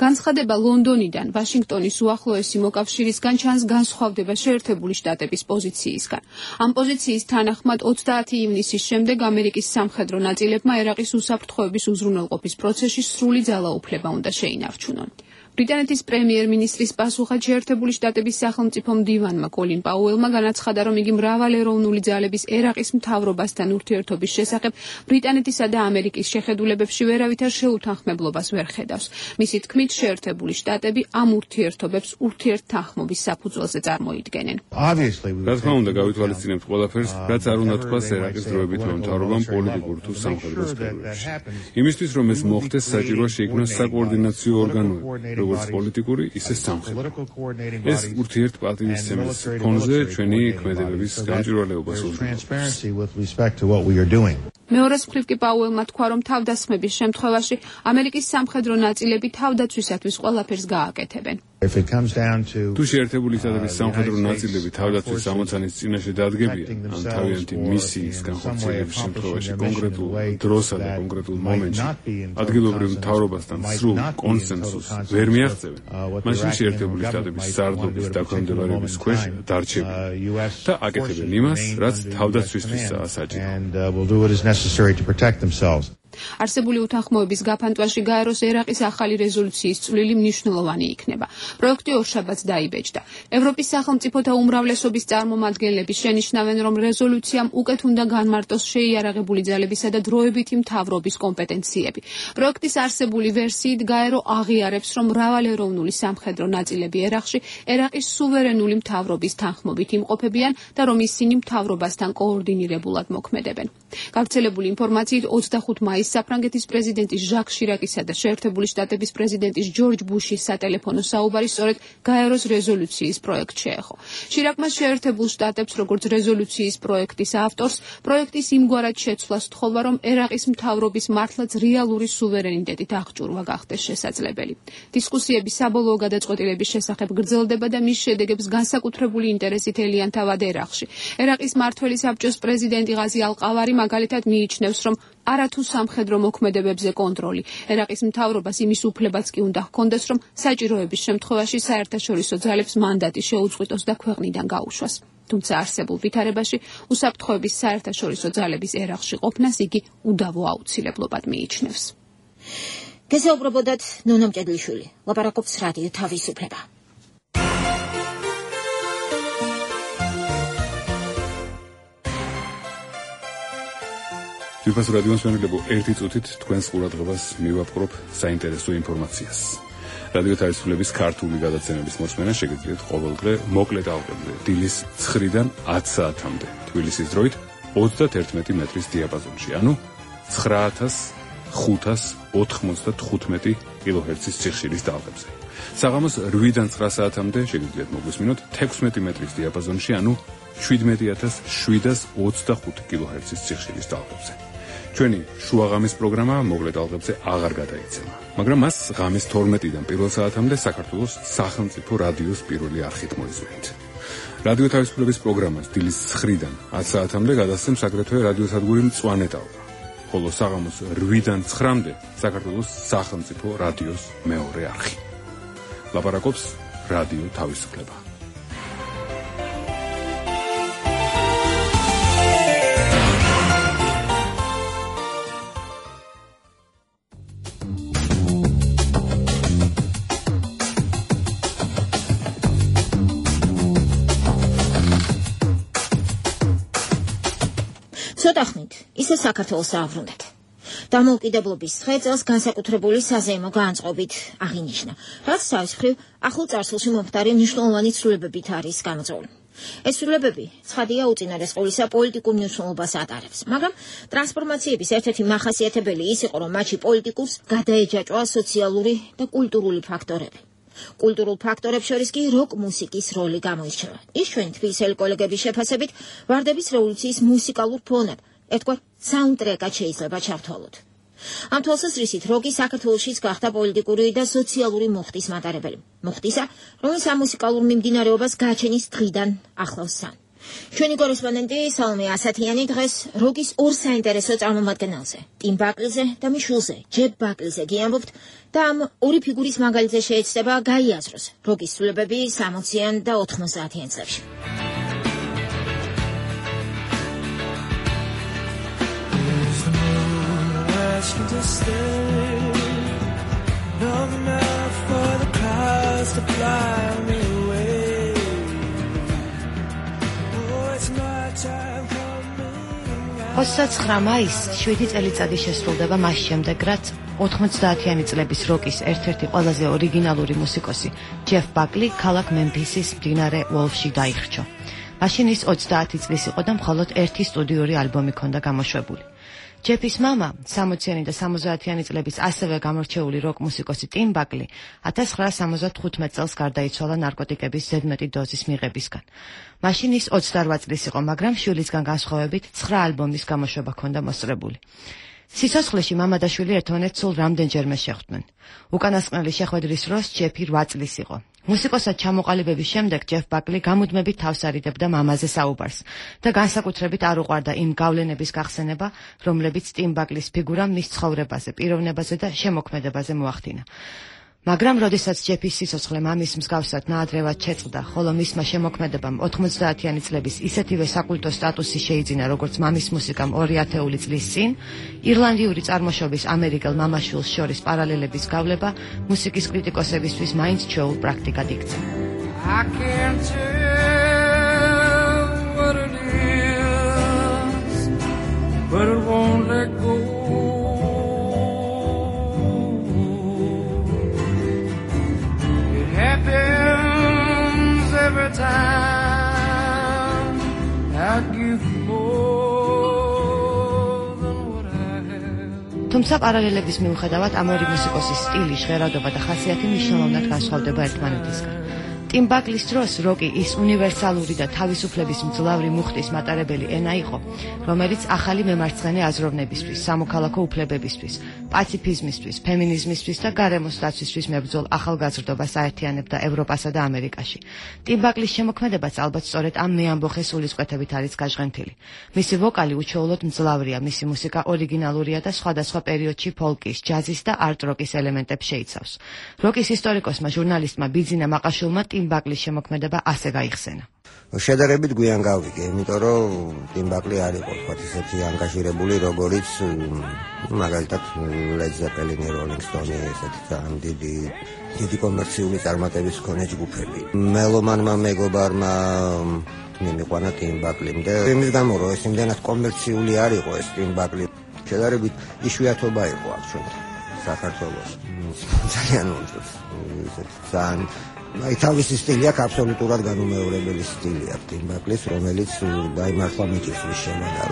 განცხადება ლონდონიდან ვაშინგტონის უახლოესი მოკავშირისგან ჩანს განსხვავდება შეერთებული შტატების პოზიციისგან. ამ პოზიციის თანახმად ოცდაათი ივნისის შემდეგ ამერიკის სამხედრო ნაწილებმა ერაყის უსაფრთხოების უზრუნველყოფის პროცესში სრული ძალაუფლება უნდა შეინარჩუნონ. ბრიტანეთის პრემიერ-მინისტრის პასუხად შეერთებული შტატების სახელმწიფო მდივანმა კოლინ პაუელმა განაცხადა, რომ იგი მრავალეროვნული ძალების ერაყის მთავრობასთან ურთიერთობის შესახებ ბრიტანეთისა და ამერიკის შეხედულებებში ვერავითარ შეუთანხმებლობას ვერ ხედავს. მისი თქმით, შეერთებული შტატები ამ ურთიერთობებს ურთიერთთანხმობის საფუძველზე წარმოიდგენენ. რა თქმა უნდა, გავითვალისწინებთ ყველაფერს, რაც არ უნდა თქვას ერაყის დროებითმა მთავრობამ პოლიტიკურ თუ სამხედრო სფეროებში. იმისთვის, რომ ეს მოხდეს, საჭიროა შეიქმნას საკოორდინაციო ორგანოები, როგორც პოლიტიკური, ისე სამხედრო. ეს ურთიერთპატივისცემის ფონზე ჩვენი ქმედებების გამჭვირვალეობას უზრუნველყოფს. მეორეს მხრივ კი პაუელმა თქვა, რომ თავდასხმების შემთხვევაში ამერიკის სამხედრო ნაწილები თავდაცვისათვის ყველაფერს გააკეთებენ. თუ შეერთებული შტატების სამხედრო ნაწილები თავდაცვის ამოცანის წინაშე დადგებიან, ან თავიანთი მისიის განხორციელების შემთხვევაში კონკრეტულ დროსა და კონკრეტულ მომენტში ადგილობრივ მთავრობასთან სრულ კონსენსუსს ვერ მიაღწევენ, მაშინ შეერთებული შტატების სარდლობის დაქვემდებარების ქვეშ დარჩებიან და აკეთებენ იმას, რაც თავდაცვისთვისაა საჭირო. არსებული უთანხმოების გაფანტვაში გაეროს ერაყის ახალი რეზოლუციის წვლილი მნიშვნელოვანი იქნება. პროექტი ორშაბათს დაიბეჭდა. ევროპის სახელმწიფოთა უმრავლესობის წარმომადგენლები შენიშნავენ, რომ რეზოლუციამ უკეთ უნდა განმარტოს შეიარაღებული ძალებისა და დროებითი მთავრობის კომპეტენციები. პროექტის არსებული ვერსიით გაერო აღიარებს, რომ მრავალეროვნული სამხედრო ნაწილები ერაყში ერაყის სუვერენული მთავრობის თანხმობით იმყოფებიან და რომ ისინი მთავრობასთან კოორდინირებულად მოქმედებენ. გავრცელებული ინფორმაციით ოცდახუთი მაისს საფრანგეთის პრეზიდენტის ჟაკ შირაკისა და შეერთებული შტატების პრეზიდენტის ჯორჯ ბუშის სატელეფონო საუბარი სწორედ გაეროს რეზოლუციის პროექტს შეეხო. შირაკმა შეერთებულ შტატებს, როგორც რეზოლუციის პროექტის ავტორს, პროექტის იმგვარად შეცვლა სთხოვა, რომ ერაყის მთავრობის მართლაც რეალური სუვერენიტეტით აღჭურვა გახდეს შესაძლებელი. დისკუსიები საბოლოო გადაწყვეტილების შესახებ გრძელდება და მის შედეგებს განსაკუთრებული ინტერესით ელიან თავად ერაყში. ერაყის მმართველი საბჭოს პრეზიდენტი ღაზი ალ-ყავარი მაგალითად მიიჩნევს, რომ არათუ სამხედრო მოქმედებებზე კონტროლი. ერაყის მთავრობას იმის უფლებაც კი უნდა ჰქონდეს, რომ საჭიროების შემთხვევაში საერთაშორისო ძალებს მანდატი შეუწყვიტოს და ქვეყნიდან გაუშვას. თუმცა არსებულ ვითარებაში უსაფრთხოების საერთაშორისო ძალების ერაყში ყოფნას იგი უდავო აუცილებლობად მიიჩნევს. გესაუბრებოდათ ნონა მჭედლიშვილი, ლაპარაკობს რადიო თავისუფლება. ძვირფასო რადიო მსმენელებო, ერთი წუთით თქვენს ყურადღებას მივაპყრობ საინტერესო ინფორმაციას. რადიო თავისუფლების ქართული გადაცემების მოსმენა შეგიძლიათ ყოველდღე მოკლე ტალღებზე დილის ცხრიდან ათი საათამდე თბილისის დროით ოცდაათი მეტრის დიაპაზონში, ანუ ცხრა ათას ხუთას ოთხმოცდათხუთმეტი კილოჰერცის სიხშირის ტალღებზე. საღამოს რვიდან ცხრა საათამდე შეგიძლიათ მოგვისმინოთ თექვსმეტი მეტრის დიაპაზონში, ანუ შვიდმეტი ათას შვიდას ოცდახუთი კილოჰერცის სიხშირის ტალღებზე. ჩვენი შუაღამის პროგრამა მოკლე ტალღებზე აღარ გადაიცემა, მაგრამ მას ღამის თორმეტიდან პირველ საათამდე საქართველოს სახელმწიფო რადიოს პირველი არხით მოისმენთ. რადიო თავისუფლების პროგრამას დილის ცხრიდან ათი საათამდე გადასცემს აგრეთვე რადიოსადგური მწვანე ტალღა, ხოლო საღამოს რვიდან ცხრამდე საქართველოს სახელმწიფო რადიოს მეორე არხი. ლაპარაკობს რადიო თავისუფლება. ცოტახნით ისე საქართველოს აავრუნდათ. დამოუკიდებლობის დღე წელს განსაკუთრებული საზეიმო განწყობით აღინიშნა, რაც თავის მხრივ ახლო წარსულში მომხდარი მნიშვნელოვანი ცვლილებებით არის გამოწვეული. ეს ცვლილებები, ცხადია, უწინარეს ყოვლისა პოლიტიკურ მნიშვნელობას ატარებს, მაგრამ ტრანსფორმაციების ერთ-ერთი მახასიათებელი ის იყო, რომ მათში პოლიტიკურს გადაეჯაჭვა სოციალური და კულტურული ფაქტორები. კულტურულ ფაქტორებს შორის კი როკ მუსიკის როლი გამოირჩევა. ის ჩვენი თბილისელი კოლეგების შეფასებით ვარდების რევოლუციის მუსიკალურ ფონად, ერთგვარ საუნდტრეკად შეიძლება ჩავთვალოთ. ამ თვალსაზრისით როკი საქართველოშიც გახდა პოლიტიკური და სოციალური მოხდის მატარებელი. მოხდისა, რომელიც ამ მუსიკალურ მიმდინარეობას გააჩენის დღიდან ახლავს სან. ჩვენი კორესპონდენტი სალომე ასათიანი დღეს როკის ორ საინტერესო წარმომადგენელზე, ტიმ ბაკლზე და მიშულზე, ჯებ ბაკლზე გიამბობთ და ამ ორი ფიგურის მაგალითზე შეეცდება გაიაზროს როკის ცვლილებები სამოციან და ოთხმოცდაათიან წლებში. To stay, no enough for the crowd. ოცდაცხრა მაისს შვიდი წელიწადი შესრულდება მას შემდეგ, რაც ოთხმოცდაათიანი წლების როკის ერთ-ერთი ყველაზე ორიგინალური მუსიკოსი ჯეფ ბაკლი ქალაქ მემფისის მდინარე უოლფში დაიხრჩო. მაშინ ის ოცდაათი წლის იყო და მხოლოდ ერთი სტუდიური ალბომი ჰქონდა გამოშვებული. ჯეფის მამა, სამოციანი და სამოცდაათიანი წლების ასევე გამორჩეული როკ მუსიკოსი ტიმ ბაკლი ათას ცხრაასა სამოცდათხუთმეტ წელს გარდაიცვალა ნარკოტიკების ზედმეტი დოზის მიღებისგან. მაშინ ის ოცდარვა წლის იყო, მაგრამ შვილისგან განსხვავებით ცხრა ალბომის გამოშვება ჰქონდა მოსწრებული. სიცოცხლეში მამა და შვილი ერთმანეთს სულ რამდენჯერმე შეხვდნენ. უკანასკნელი შეხვედრის დროს ჯეფი რვა წლის იყო. მუსიკოსად ჩამოყალიბების შემდეგ ჯეფ ბაკლი გამუდმებით თავს არიდებდა მამაზე საუბარს და განსაკუთრებით არ უყვარდა იმ გავლენების გახსენება, რომლებიც ტიმ ბაკლის ფიგურამ მის ცხოვრებაზე, პიროვნებაზე და შემოქმედებაზე მოახდინა. მაგრამ როდესაც ჯეფის სიცოცხლე მამის მსგავსად ნაადრევად შეწყდა, ხოლო მისმა შემოქმედებამ ოთხმოცდაათიანი წლების ისეთივე საკულტო სტატუსი შეიძინა, როგორც მამის მუსიკამ ორი ათეული წლის წინ, ირლანდიური წარმოშობის ამერიკელ მამაშვილს შორის პარალელების გავლება მუსიკის კრიტიკოსებისთვის მაინც ჩვეულ პრაქტიკად იქცა. I can't tell what it is, but it won't let go. Every time I give more than what I have. თუმცა პარალელების მიუხედავად ამ ორი მუსიკოსის სტილი, ჟღერადობა და ხასიათი მნიშვნელოვნად განსხვავდება ერთმანეთისგან. ტიმ ბაკლის დროს როკი ის უნივერსალური და თავისუფლების მძლავრი მუხტის მატარებელი ენა იყო, რომელიც ახალი მემარცხენე აზროვნებისთვის, სამოქალაქო უფლებებისთვის, პაციფიზმისთვის, ფემინიზმისთვის და გარემოს დაცვისთვის მებრძოლ ახალგაზრდობას აერთიანებდა ევროპასა და ამერიკაში. ტიმ ბაკლის შემოქმედებაც ალბათ სწორედ ამ მეამბოხე სულისკვეთებით არის გაჟღენთილი. მისი ვოკალი უჩვეულოდ მძლავრია, მისი მუსიკა ორიგინალურია და სხვადასხვა პერიოდში ფოლკის, ჯაზის და არტ-როკის ელემენტებს შეიცავს. როკის ისტორიკოსმა ჟურნალისტმა ბიძინა მაყაშვილმა ტიმ ბაკლის შემოქმედება ასე გაიხსენა. შედარებით გვიან გავიგე, იმიტომ რომ ტიმ ბაკლი არ იყო თქვათ ისეთი ანგაჟირებული, როგორიც მაგალითად ლედ ზეპელინი, როლინგ სტონი, ესეთი ძალიან დიდი დიდი კომერციული წარმატების მქონე ჯგუფები. მელომანმა მეგობარმა მიმიყვანა ტიმ ბაკლი და იმის გამო რომ ეს იმდენად კომერციული არ იყო ეს ტიმ ბაკლი, შედარებით იშვიათობა იყო აქ ჩვენთან საქართველოში. ძალიან უნდათ ესეთი ძალიან აი თავისი სტილი აქვს, აბსოლუტურად განუმეორებელი სტილი აქვს ტიმ ბაკლის, რომელიც დაიმართვა მიჭირს შემოდარ.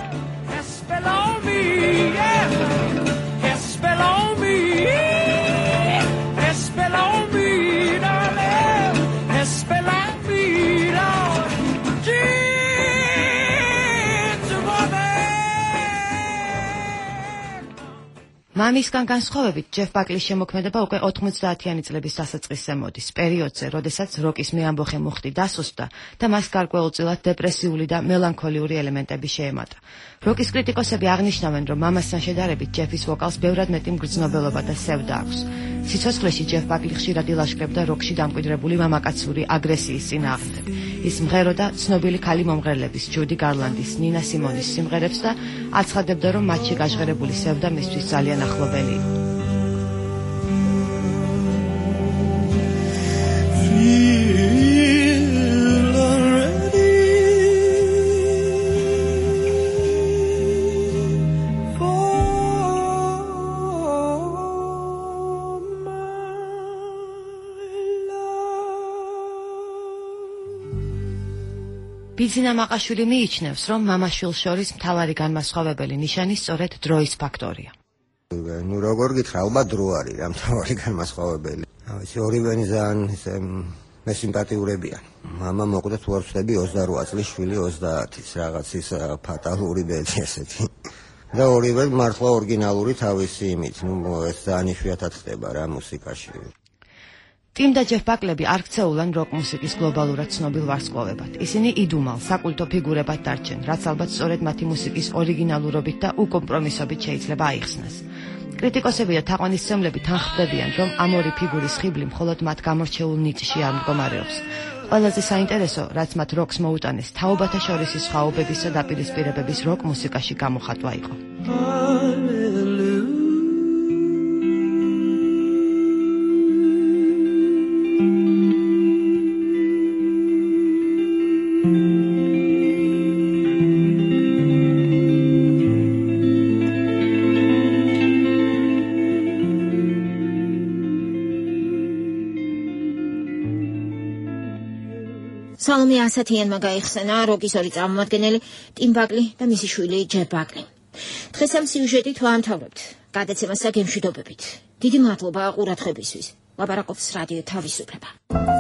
მამისგან განსხვავებით, ჯეფ ბაკლის შემოქმედება უკვე ოთხმოცდაათიანი წლების დასაწყისზე მოდის, პერიოდზე, როდესაც როკის მეამბოხე მუხტი დასუსტდა და მას გარკვეულწილად დეპრესიული და მელანქოლიური ელემენტები შეემატა. როკის კრიტიკოსები აღნიშნავენ, რომ მამასთან შედარებით ჯეფის ვოკალს ბევრად მეტი მგრძნობელობა და სევდა აქვს. სიცოცხლეში ჯეფ ბაკლი ხშირად ილაშქრებდა როკში დამკვიდრებული მამაკაცური აგრესიის წინააღმდეგ. ის მღეროდა ცნობილი ქალი მომღერლების, ჯუდი გარლანდის, ნინა სიმონის სიმღერებს და აცხადებდა, რომ მათში გაჟღერებული სევდა მისთვის ძალიან ახლობელი იყო. ბიძინა მაყაშვილი მიიჩნევს, რომ მამაშვილს შორის მთავარი განმასხვავებელი ნიშანი სწორედ დროის ფაქტორია. ნუ როგორ გითხრა, ალბათ დრო არის რა მთავარი განმასხვავებელი. აი ორივენი ძალიან ისე მესიმპათიურებიან. მამა მოკვდა თუ არ ვცდები ოცდარვა წლის, შვილი ოცდაათის, რაღაც ის ფატალური ბედი ესეთი. და ორივე მართლა ორიგინალური თავისი იმით, ნუ ეს ძალიან იშვიათად ხდება რა მუსიკაში. ტიმ და ჯეფ ბაკლები არ ქცეულან როკ მუსიკის გლობალურად ცნობილ ვარსკვლავებად. ისინი იდუმალ, საკულტო ფიგურებად დარჩენ, რაც ალბათ სწორედ მათი მუსიკის ორიგინალურობით და უკომპრომისობით შეიძლება აიხსნას. კრიტიკოსები და თაყვანისმცემლები თანხმდებიან, რომ ამ ორი ფიგურის ხიბლი მხოლოდ მათ გამორჩეულ ნიჭში არ მდგომარეობს. ყველაზე საინტერესო, რაც მათ როკს მოუტანეს, თაობათა შორისი სხვაობების და დაპირისპირებების როკ მუსიკაში გამოხატვა იყო. სალომე ასათიანმა გაიხსენა როკის ორი წარმომადგენელი ტიმ ბაკლი და მისი შვილი ჯეფ ბაკლი. დღეს ამ სიუჟეტით ვაამთავრებთ გადაცემას გემშვიდობებით. დიდი მადლობა ყურადღებისთვის. ლაპარაკობს რადიო თავისუფლება.